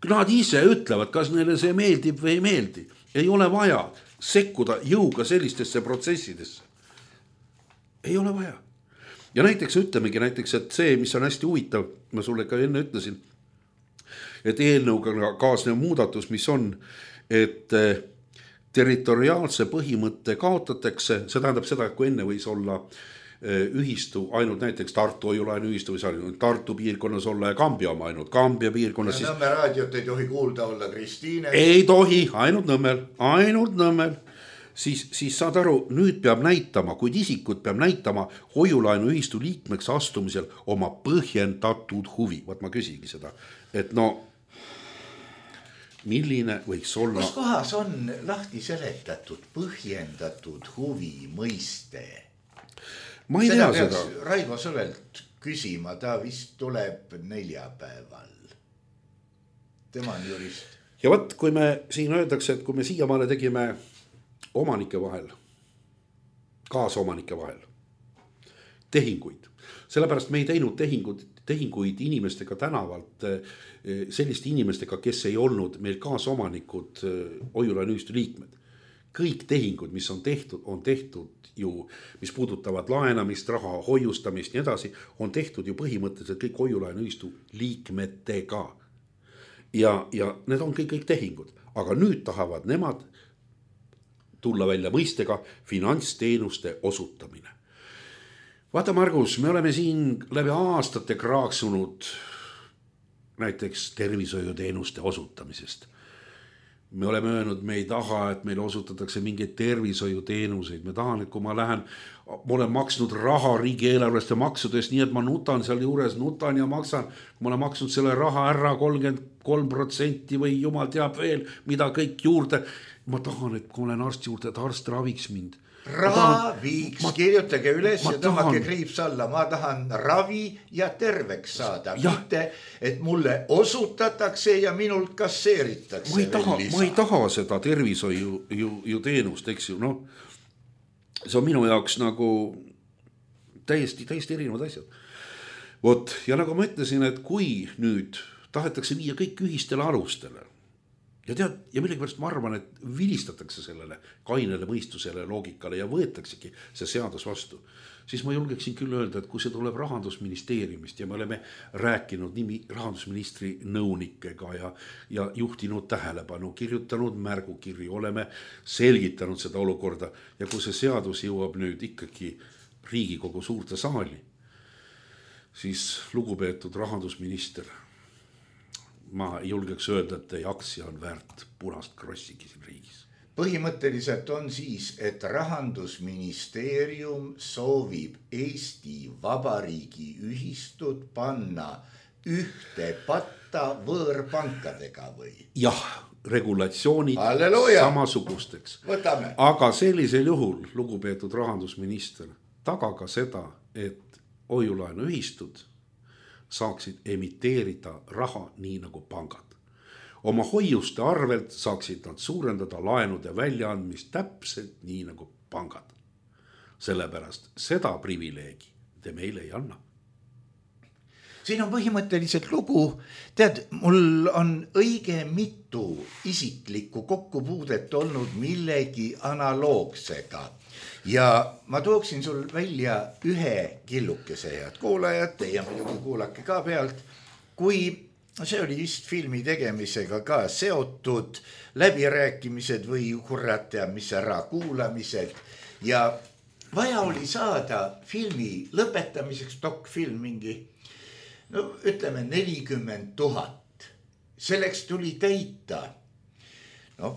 Nad ise ütlevad, kas neile see meeldib või ei meeldi. Ei ole vaja sekkuda jõuga sellistesse protsessidesse. ei ole vaja. Ja näiteks ütlemegi näiteks, et see, mis on hästi huvitav, ma sulle ka enne ütlesin, et eelnõuga kaasnev muudatus, mis on, et territoriaalse põhimõtte kaotatakse, see tähendab seda, et kui enne võis olla ühistu ainult näiteks Tartu Hoiulaenu ühistu või seal Tartu piirkonnas olla ja Kambja oma ainult Kambja piirkonnas. Ja Nõmme raadiot ei tohi kuulda olla Kristiine. Ei tohi, ainult Nõmmel. Siis saad aru, nüüd peab näitama, kuid isikud peab näitama Hoiulaenu ühistu liikmeks astumisel oma põhjendatud huvi. Vaat ma küsigi seda, et no milline võiks olla... Kus kohas on lahti seletatud põhjendatud huvi mõiste? Ma ei tea seda. Raivo Sõvelt küsima, ta vist tuleb neljapäeval. Tema on jurist. Ja võt, kui me siin öeldakse, et kui me siiamaale tegime omanike vahel, kaasomanike vahel tehinguid, sellepärast me ei teinud tehinguid inimestega tänavalt, selliste inimestega, kes ei olnud meil kaasomanikud Hoiulaenu ühistu liikmed. Kõik tehingud, mis on tehtud ju, mis puudutavad laenamist, raha hoiustamist ja edasi, on tehtud ju põhimõtteliselt kõik Hoiulaenu ühistu liikmetega. Ja need on kõik tehingud, aga nüüd tahavad nemad tulla välja mõistega finantsteenuste osutamine. Vaata, Margus, me oleme siin läbi aastate kraaksunud näiteks tervishoiuteenuste osutamisest. Me oleme öelnud, me ei taha, et meile osutatakse mingeid tervishoiuteenuseid. Me tahan, et kui ma olen maksnud raha riigieelarvest ja maksudest, nii et ma nutan seal juures, ja maksan. Kui ma olen maksnud selle raha ära 33% või jumal teab veel, mida kõik juurde. Ma tahan, et kui olen arsti juurde, et arst raviks mind. Raviks, kirjutage üles ja tõmmake kriips alla. Ma tahan ravi ja terveks saada. Mitte, et mulle osutatakse ja minult kasseeritakse. Ma ei taha seda tervishoiu teenust, eks ju. No, see on minu jaoks nagu täiesti erinevad asjad. Vot, ja nagu ma ütlesin, et kui nüüd tahetakse viia kõik ühistele alustele, ja millegipärast ma arvan, et vilistatakse sellele kainele mõistusele loogikale ja võetaksegi see seadus vastu, siis ma julgeksin küll öelda, et kui see tuleb Rahandusministeeriumist ja me oleme rääkinud rahandusministri nõunikega ja juhtinud tähelepanu, kirjutanud märgukirju, oleme selgitanud seda olukorda ja kui see seadus jõuab nüüd ikkagi Riigikogu suurde saali, siis lugupeetud rahandusminister, ma julgeks öelda, et teie aktsia on väärt punast krossigi siin riigis. Põhimõtteliselt on siis, et Rahandusministeerium soovib Eesti Vabariigi ühistut panna ühte patta võõrpankadega või? Jah, regulatsioonid samasugusteks. Võtame. Aga sellisel juhul, lugupeetud rahandusminister, tagaga seda, et Hoiulaenu ühistud saaksid emiteerida raha nii nagu pangad. Oma hoiuste arvelt saaksid nad suurendada laenude väljaandmist täpselt nii nagu pangad. Sellepärast seda privileegi te meile ei anna. Siin on põhimõtteliselt lugu, tead, mul on õige mitu isiklikku kokkupuudet olnud millegi analoogsega. Ja ma tooksin sul välja ühe killukese, head kuulajad, teie muidugi kuulake ka pealt, kui see oli vist filmi tegemisega ka seotud, läbirääkimised või kurat ja mis ära kuulamised ja vaja oli saada filmi lõpetamiseks, dokfilm mingi, no ütleme 40 000. Selleks tuli täita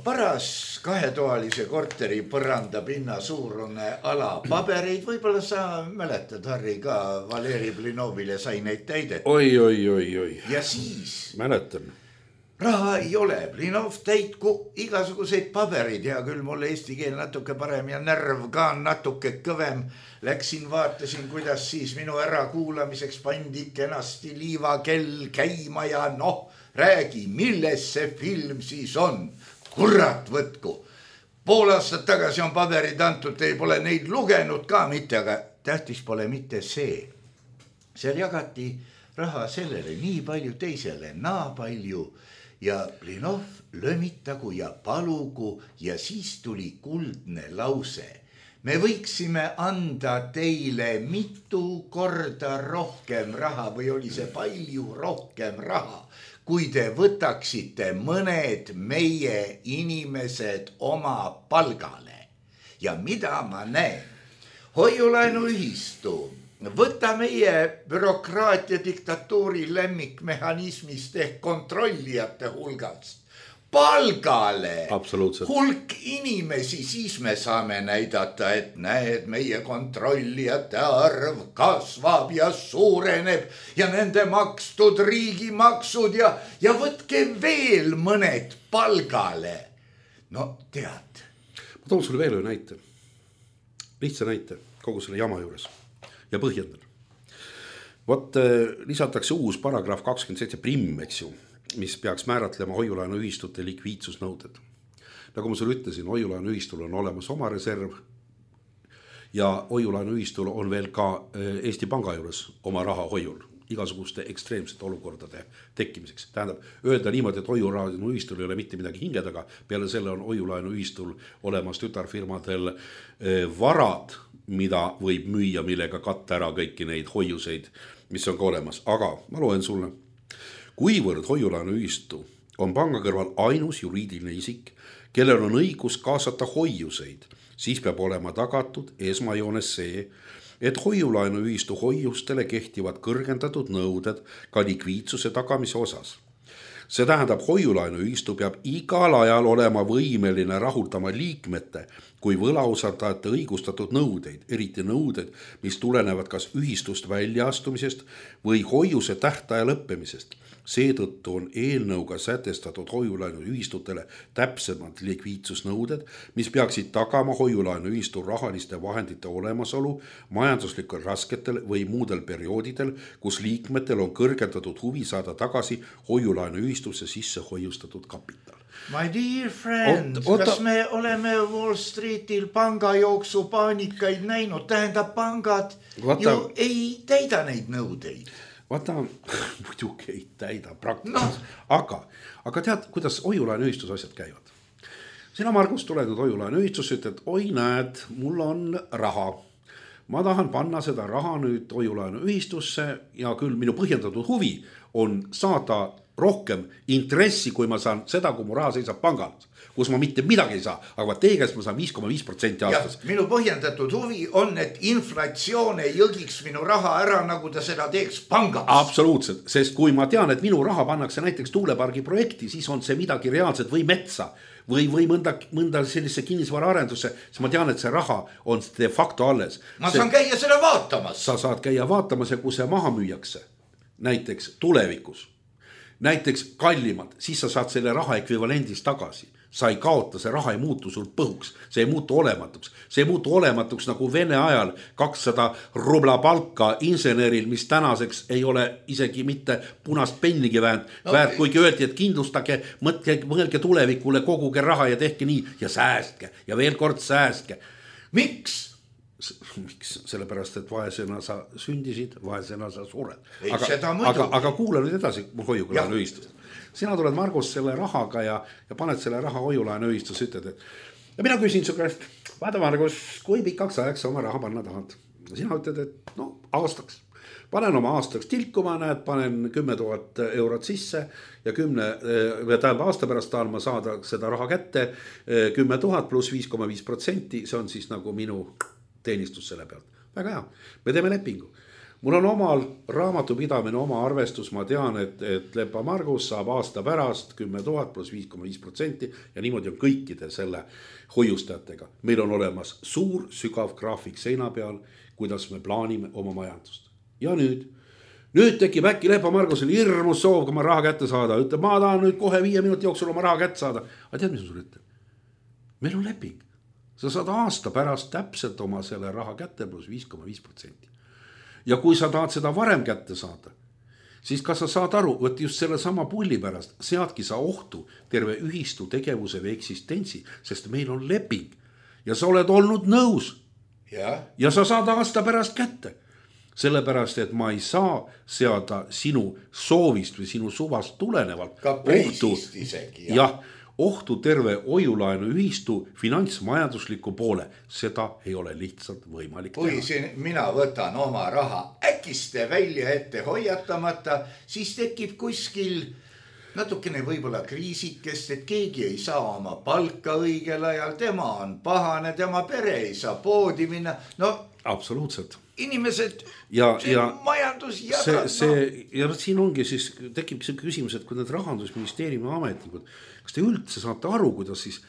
paras kahetoalise korteri põranda pinna suurune ala pabereid, võib-olla sa mäletad, Harri, ka Valeri Blinovile sai neid täidet. Oi. Ja siis mäletan. Raha ei ole, Blinov täitku igasuguseid paberid, hea küll, mulle eesti keel natuke parem ja närv ka natuke kõvem. Läksin, vaatasin, kuidas siis minu ärakuulamiseks pandi kenasti liivakell käima ja räägi, milles see film siis on. Kurat võtku. Pool aastat tagasi on paberid antud, ei pole neid lugenud ka mitte, aga tähtis pole mitte see. Seal jagati raha sellele nii palju, teisele naa palju ja Blinov lömitagu ja palugu ja siis tuli kuldne lause. me võiksime anda teile mitu korda rohkem raha või oli see palju rohkem raha, kui te võtaksite mõned meie inimesed oma palgale. Ja mida ma näen? Hoiulaenuühistu, võta meie bürokraatia diktatuuri lemmikmehhanismist ehk kontrollijate hulgast palgale hulk inimesi, siis me saame näidata, et näed, meie kontrollijate arv kasvab ja suureneb ja nende makstud riigimaksud ja võtke veel mõned palgale. No tead. Ma toon sulle veel ühe näite. Lihtsa näite kogu selle jama juures ja põhjendan. Vot lisatakse uus paragrahv 27 primm, eks ju, mis peaks määratlema hoiulaenuühistute likviidsusnõuded. Nagu ma sulle ütlesin, hoiulaenuühistul on olemas oma reserv ja hoiulaenuühistul on veel ka Eesti Panga juures oma raha hoiul igasuguste ekstreemsete olukordade tekkimiseks. Tähendab, öelda niimoodi, et hoiulaenuühistul ei ole mitte midagi hinge taga, peale selle on hoiulaenuühistul olemas tütarfirmadel varad, mida võib müüa, millega katta ära kõiki neid hoiuseid, mis on ka olemas. Aga ma loen sulle. Kuivõrd hoiulaenuühistu on panga kõrval ainus juriidiline isik, kellel on õigus kaasata hoiuseid, siis peab olema tagatud esmajoones see, et hoiulaenuühistu hoiustele kehtivad kõrgendatud nõuded ka likviidsuse tagamise osas. See tähendab, hoiulaenuühistu peab igal ajal olema võimeline rahuldama liikmete kui võlausaldajate õigustatud nõudeid, eriti nõuded, mis tulenevad kas ühistust väljaastumisest või hoiuse tähtaja lõppemisest. Seetõttu on eelnõuga sätestatud hoiulaenuühistutele täpsemad likviidsusnõuded, mis peaksid tagama hoiulaenuühistu rahaliste vahendite olemasolu majanduslikel rasketel või muudel perioodidel, kus liikmetel on kõrgendatud huvi saada tagasi hoiulaenuühistusse sisse hoiustatud kapital. My dear friend, kas me oleme Wall Streetil pangajooksu paanikaid näinud? Tähendab, pangad ju ei täida neid nõudeid. Vaata, muidugi ei täida praktikas, aga tead, kuidas hoiulaenuühistus asjad käivad? Sina, Margus, tuled nüüd hoiulaenuühistusse, ütled, oi näed, mul on raha. Ma tahan panna seda raha nüüd hoiulaenuühistusse ja küll minu põhjendatud huvi on saada rohkem intressi, kui ma saan seda, kui mu raha seisab pangal, kus ma mitte midagi ei saa, aga teie käest ma saan 5,5% aastas. Ja minu põhjendatud huvi on, et inflatsioon ei jõgiks minu raha ära, nagu ta seda teeks pangas. Absoluutselt, sest kui ma tean, et minu raha pannakse näiteks tuulepargi projekti, siis on see midagi reaalset või metsa või mõnda sellise kinnisvara arendusse, siis ma tean, et see raha on de facto alles. Ma saan käia seda vaatamas. Sa saad käia vaatamas ja kui see maha müüakse, näiteks tulevikus, näiteks kallimalt, siis sa saad selle raha ekvivalendis tagasi. Sa ei kaota, see raha ei muutu sul põhuks, see ei muutu olematuks. See ei muutu olematuks nagu Vene ajal 200 rubla palka inseneril, mis tänaseks ei ole isegi mitte punast pennigi väärt, kuigi öeldi, et kindlustage, mõelge tulevikule, koguge raha ja tehke nii ja säästke ja veel kord säästke. Miks? Sellepärast, et vaesena sa sündisid, vaesena sa sured. Aga kuule nüüd edasi hoiulaenuühistust. Sina tuled, Margus, selle rahaga ja paned selle raha hoiulaenuühistusse, ütled, et ja mina küsin su käest, vaata, Margus, kui pikaks ajaks oma raha panna tahad? Sina ütled, et no aastaks. Panen oma aastaks tilkuma, näed, panen 10 000 eurot sisse ja 10 aasta pärast tahan ma saada seda raha kätte 10 000 pluss 5,5%, see on siis nagu minu teenistus selle pealt. Väga hea, me teeme lepingu. Mul on omal raamatupidamine, oma arvestus, ma tean, et Lepa Margus saab aasta pärast 10 000 pluss 5,5% ja niimoodi on kõikide selle hoiustajatega. Meil on olemas suur, sügav graafik seina peal, kuidas me plaanime oma majandust. Ja nüüd tekib äkki Lepa Margusel hirmus soov, kui ma raha kätte saada. Ütleb, ma tahan nüüd kohe 5 minuti jooksul oma raha kätte saada. Aga tead, mis on sul ütleb? Meil on leping. Sa saad aasta pärast täpselt oma selle raha kätte pluss 5,5%. Ja kui sa tahad seda varem kätte saada, siis kas sa saad aru, et just selle sama pulli pärast seadki sa ohtu terve ühistu tegevuse või eksistentsi, sest meil on leping ja sa oled olnud nõus ja sa saad aasta pärast kätte. Sellepärast, et ma ei saa seada sinu soovist või sinu suvast tulenevalt ka preisist isegi. Jah, ohtu terve hoiulaenu ühistu finantsmajandusliku poole. Seda ei ole lihtsalt võimalik kui siin mina võtan oma raha äkiste välja ette hoiatamata, siis tekib kuskil natukene võib-olla kriisikest, et keegi ei saa oma palka õigel ajal, tema on pahane, tema pere ei saa poodi minna. No absoluutselt. Inimesed, ja majandus jagab. Ja siin ongi siis, tekib see küsimus, et kui need Rahandusministeeriumi ametnikud, kas te üldse saate aru, kuidas siis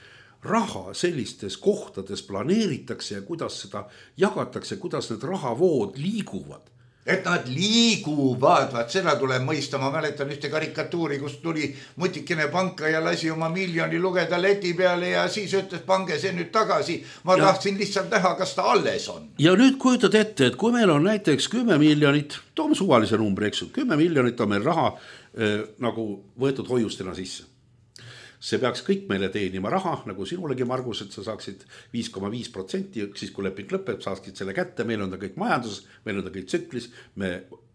raha sellistes kohtades planeeritakse ja kuidas seda jagatakse, kuidas need rahavood liiguvad? Et nad liiguvad, vaat seda tuleb mõista. Ma mäletan ühte karikatuuri, kus tuli mutikene panka ja lasi oma miljoni lugeda leti peale ja siis ütles, pange see nüüd tagasi. Ma tahtsin lihtsalt näha, kas ta alles on. Ja nüüd kujutad ette, et kui meil on näiteks 10 miljonit, toome suvalise numbri, eks, 10 miljonit on meil raha nagu võetud hoiustena sisse. See peaks kõik meile teenima raha, nagu sinulegi, Margus, et sa saaksid 5,5%, siis kui leping lõpeb, saaksid selle kätte, meil on ta kõik majanduses, meil on ta kõik tsüklis, me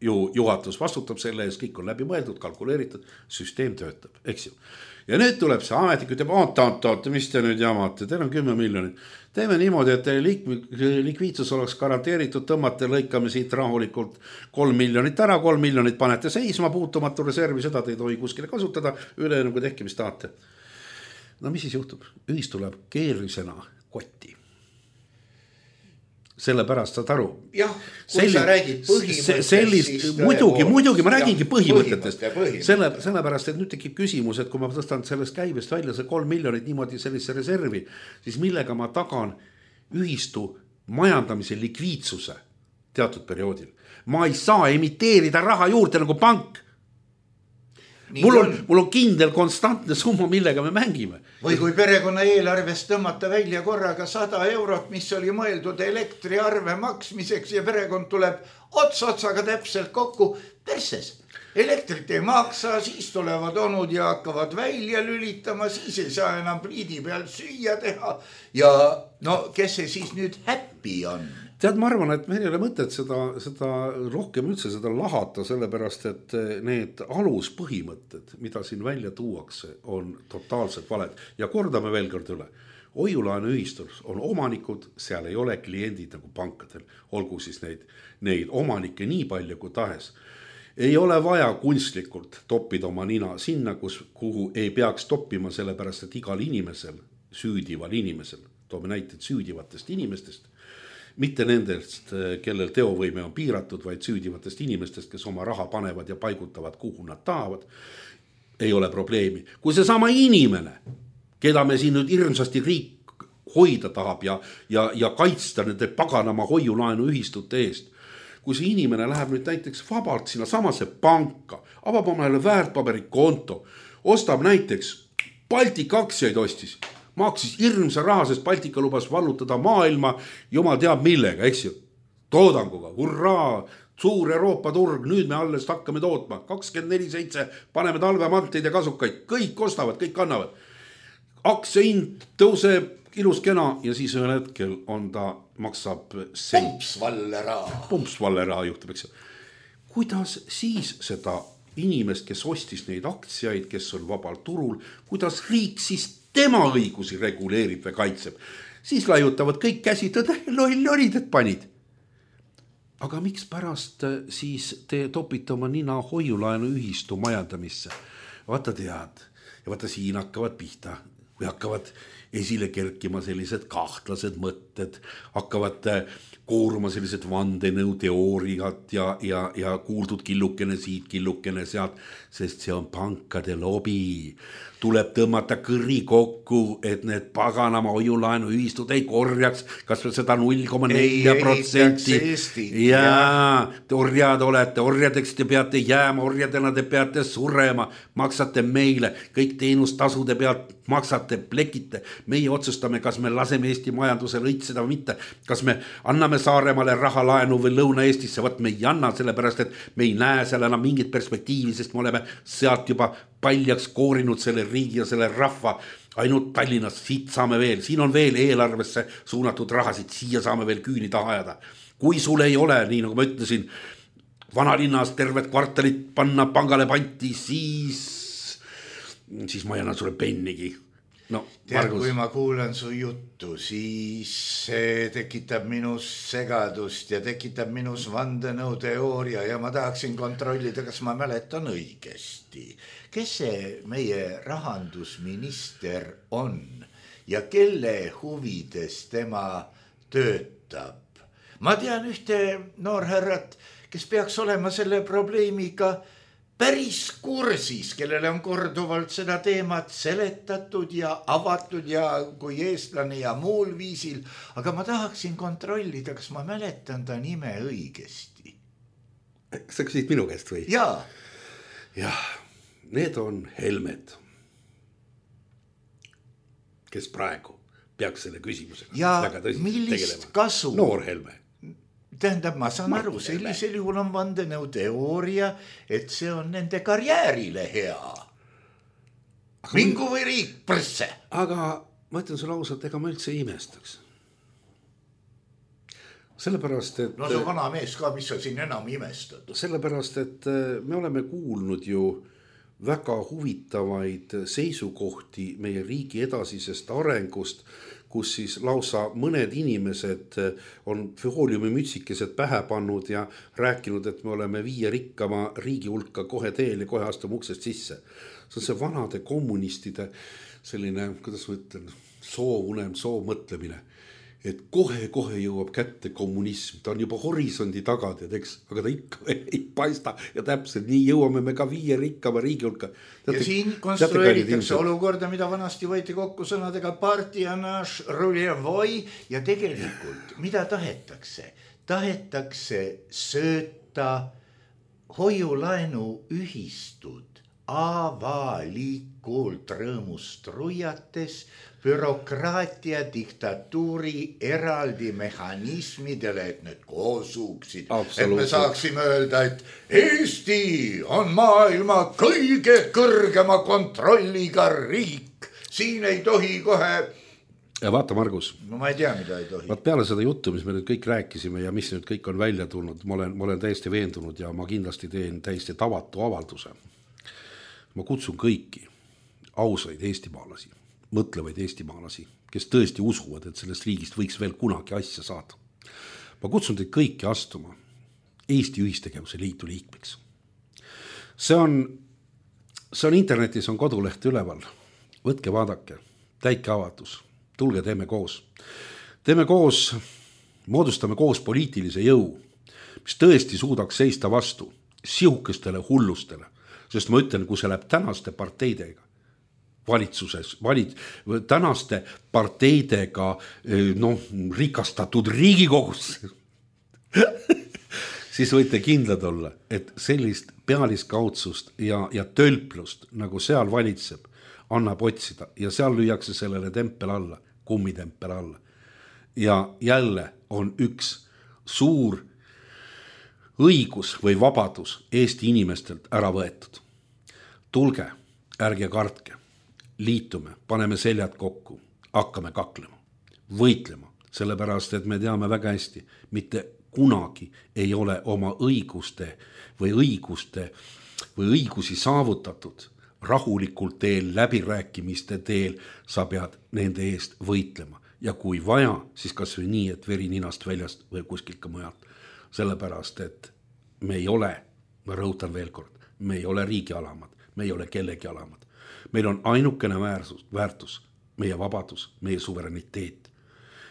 ju juhatus vastutab selle ees, kõik on läbi mõeldud, kalkuleeritud, süsteem töötab, eks ju. Ja nüüd tuleb see ametnik, ütleb, oota, mis te nüüd jamate, teil on 10 miljonit. Teeme niimoodi, et likviidsus oleks garanteeritud, tõmmate, lõikame siit rahulikult 3 miljonit ära, 3 miljonit panete seisma, puutumatu reservi, seda te ei tohi kuskile kasutada, üle nagu tehke, mis tahate. No mis siis juhtub? Ühis tuleb keerisena kotti. Sellepärast saad aru. Jah, kui sa räägid põhimõttest. Muidugi ma räägingi põhimõtetest. Sellepärast, et nüüd tekib küsimus, et kui ma tõstan sellest käibest välja see 3 miljonit niimoodi sellise reservi, siis millega ma tagan ühistu majandamise likviidsuse teatud perioodil. Ma ei saa emiteerida raha juurde nagu pank. Mul on kindel konstantne summa, millega me mängime. Või kui perekonna eelarvest tõmmata välja korraga 100 eurot, mis oli mõeldud elektriarve maksmiseks ja perekond tuleb otsaga täpselt kokku perses. Elektrit ei maksa, siis tulevad onud ja hakkavad välja lülitama, siis ei saa enam pliidi peal süüa teha. Ja no kes see siis nüüd happy on? Tead, ma arvan, et meil ei ole mõtet seda rohkem üldse seda lahata, sellepärast, et need aluspõhimõtted, mida siin välja tuuakse, on totaalselt valed. Ja kordame veel kord üle. Hoiulaenu ühistus on omanikud, seal ei ole kliendid nagu pankadel, olgu siis neid omanikke nii palju kui tahes. Ei ole vaja kunstlikult toppida oma nina sinna, kuhu ei peaks toppima, sellepärast, et igal inimesel, süüdival inimesel, toome näited süüdivatest inimestest, mitte nendest, kellel teovõime on piiratud, vaid süüdivatest inimestest, kes oma raha panevad ja paigutavad, kuhu nad tahavad, ei ole probleemi. Kui see sama inimene, keda me siin nüüd hirmsasti riik hoida tahab ja kaitsta nende paganama hoiulaenu ühistute eest, kui see inimene läheb nüüd näiteks vabalt sinna samasse panka, avab omale väärtpaberikonto, ostab näiteks Baltika aktsiaid ostis, maksis hirmsa raha, sest Baltika lubas vallutada maailma, jumal teab millega, eks ju, toodanguga, hurraa, suur Euroopa turg, nüüd me alles hakkame tootma, 24/7, paneme talvemanteid ja kasukaid, kõik ostavad, kõik kannavad. Aktsiahind tõuseb ilus kena ja siis ühel hetkel maksab pumpsvalle raha juhtub, eks ju. Kuidas siis seda inimest, kes ostis neid aktsiaid, kes on vabal turul, kuidas riik siis tema õigusi reguleerib või kaitseb, siis laiutavad kõik käsid, loll olid, et panid. Aga miks pärast siis te topite oma nina hoiulaenu ühistu majandamisse? Vaata tead, ja vaata siin hakkavad pihta, või hakkavad esile kerkima sellised kahtlased mõtted, hakkavad kooruma sellised vandenõu teooriad ja kuuldud killukene siit, killukene sealt, sest see on pankade lobi. Tuleb tõmmata kõri kokku, et need paganama hoiulaenu ühistud ei korjaks, kas või seda 0,4%. Jaa, orjad olete, orjadeks te peate jääma, orjadena te peate surema, maksate meile, kõik teenustasude pealt maksate, plekite. Meie otsustame, kas me laseme Eesti majandusele õitseda või mitte, kas me anname Saaremaale rahalaenu või Lõuna-Eestisse, võt me ei anna, sellepärast, et me ei näe seal enam mingit perspektiivi, sest me oleme sealt juba paljaks koorinud selle riigi ja selle rahva, ainult Tallinnas, siit saame veel, siin on veel eelarvesse suunatud rahasid, siia saame veel küüni taha ajada. Kui sul ei ole, nii nagu ma ütlesin, vanalinnas tervet kvartalit panna pangale panti, siis ma ei anna sulle pennigi. No, tead, kui ma kuulan su juttu, siis see tekitab minus segadust ja tekitab minus vandenõuteooria ja ma tahaksin kontrollida, kas ma mäletan õigesti. Kes see meie rahandusminister on ja kelle huvides tema töötab? Ma tean ühte noorherrat, kes peaks olema selle probleemiga päris kursis, kellele on korduvalt seda teemat seletatud ja avatud ja kui eestlane ja muul viisil, aga ma tahaksin kontrollida, kas ma mäletan ta nime õigesti. Sa küsid minu käest või? Jaa. Jah, need on Helmed, kes praegu peaks selle küsimusega ja väga tõsiselt millist tegelema. Kasu? Noor Helme. Tähendab, ma saan aru, sellisel juhul on vandenõuteooria, et see on nende karjäärile hea. Mingu või riik prsse. Aga ma ütlen sulle ausalt, ega ma üldse imestaks. Sellepärast, et... No see vana mees ka, mis sa siin enam imestad. Sellepärast, et me oleme kuulnud ju väga huvitavaid seisukohti meie riigi edasisest arengust, kus siis lausa mõned inimesed on fooliumimütsikesed pähe pannud ja rääkinud, et me oleme 5 rikkama riigi hulka kohe teel ja kohe astume uksest sisse. See on see vanade kommunistide selline, kuidas ma ütlen, soovunem, soovmõtlemine, et kohe jõuab kätte kommunism. Ta on juba horisondi taga, eks, aga ta ikka ei paista ja täpselt nii jõuame me ka 5 rikkama riigi hulka. Ja siin konstrueeritakse olukorda, mida vanasti võeti kokku sõnadega partianaš, ruljevoi ja tegelikult, mida tahetakse? Tahetakse sööta hoiulaenu ühistud avalikult rõõmust ruiates bürokraatia diktatuuri eraldi mehhanismidele, et need koosuksid. Et me saaksime öelda, et Eesti on maailma kõige kõrgema kontrolliga riik. Siin ei tohi kohe... Ja vaata, Margus. No ma ei tea, mida ei tohi. Vaat peale seda juttu, mis me nüüd kõik rääkisime ja mis nüüd kõik on välja tulnud, ma olen täiesti veendunud ja ma kindlasti teen täiesti tavatu avalduse. Ma kutsun kõiki ausaid eestimaalasi, mõtlevaid eestimaalasi, kes tõesti usuvad, et sellest riigist võiks veel kunagi asja saada. Ma kutsun teid kõiki astuma Eesti Ühistegevuse Liidu liikmeks. See on internetis, on koduleht üleval. Võtke, vaadake, täike avatus, tulge, teeme koos. Teeme koos, moodustame koos poliitilise jõu, mis tõesti suudaks seista vastu sihukestele hullustele. Sest ma ütlen, kui see läheb tänaste parteidega valitsuses, tänaste parteidega rikastatud Riigikogus, siis võite kindlad olla, et sellist pealiskaudsust ja tölplust, nagu seal valitseb, annab otsida ja seal lüüakse sellele tempel alla, kummitempel alla. Ja jälle on üks suur õigus või vabadus Eesti inimestelt ära võetud. Tulge, ärge kartke, liitume, paneme seljad kokku, hakkame kaklema, võitlema, sellepärast, et me teame väga hästi, mitte kunagi ei ole oma õiguste või õigusi saavutatud rahulikult teel, läbirääkimiste teel, sa pead nende eest võitlema. Ja kui vaja, siis kas või nii, et veri ninast väljast või kuskilt ka mujalt. Sellepärast, et me ei ole, ma rõhutan veel kord, me ei ole riigi alamad, me ei ole kellegi alamad. Meil on ainukene väärtus, meie vabadus, meie suvereniteet.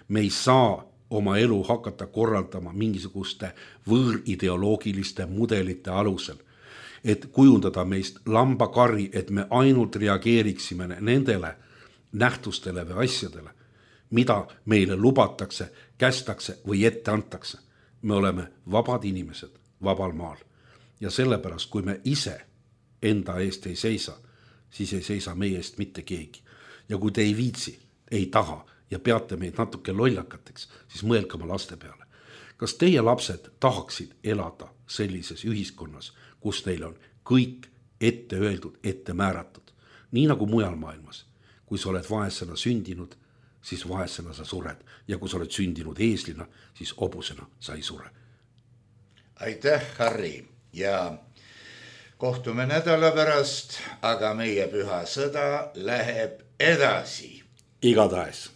Me ei saa oma elu hakata korraldama mingisuguste võõrideoloogiliste mudelite alusel, et kujundada meist lambakari, et me ainult reageeriksime nendele nähtustele või asjadele, mida meile lubatakse, kästakse või ette antakse. Me oleme vabad inimesed vabal maal ja sellepärast, kui me ise enda eest ei seisa, siis ei seisa meie eest mitte keegi. Ja kui te ei viitsi, ei taha ja peate meid natuke lollakateks, siis mõelge oma laste peale. Kas teie lapsed tahaksid elada sellises ühiskonnas, kus neil on kõik ette öeldud, ette määratud, nii nagu mujal maailmas. Kui sa oled vaesena sündinud, siis vaesena sa sured ja kui sa oled sündinud eeslina, siis hobusena sa ei sure. Aitäh, Harri, ja kohtume nädala pärast, aga meie püha sõda läheb edasi. Igatahes.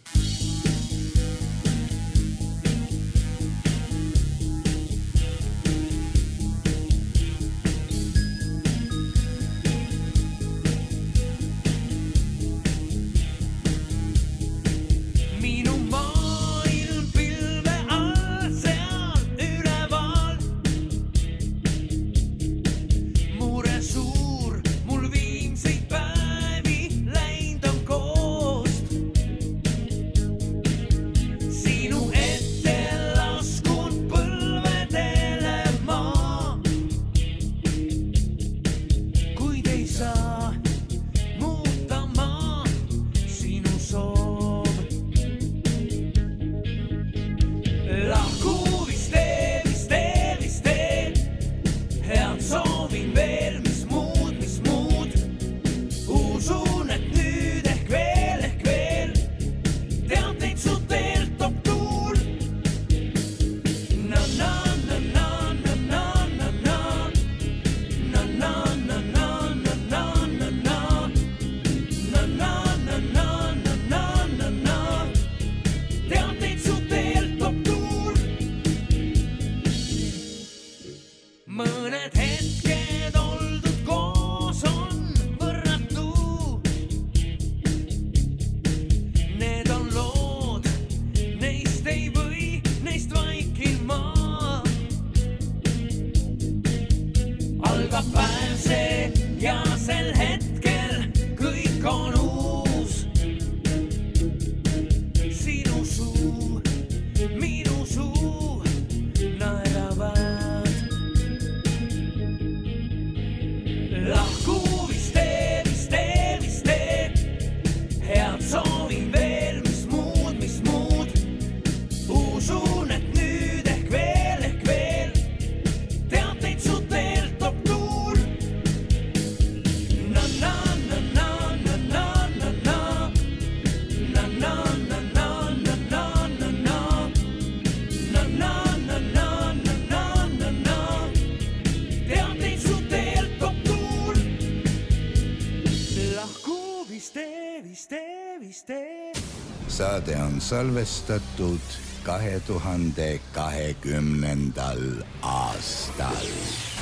Saade on salvestatud 2020. aastal.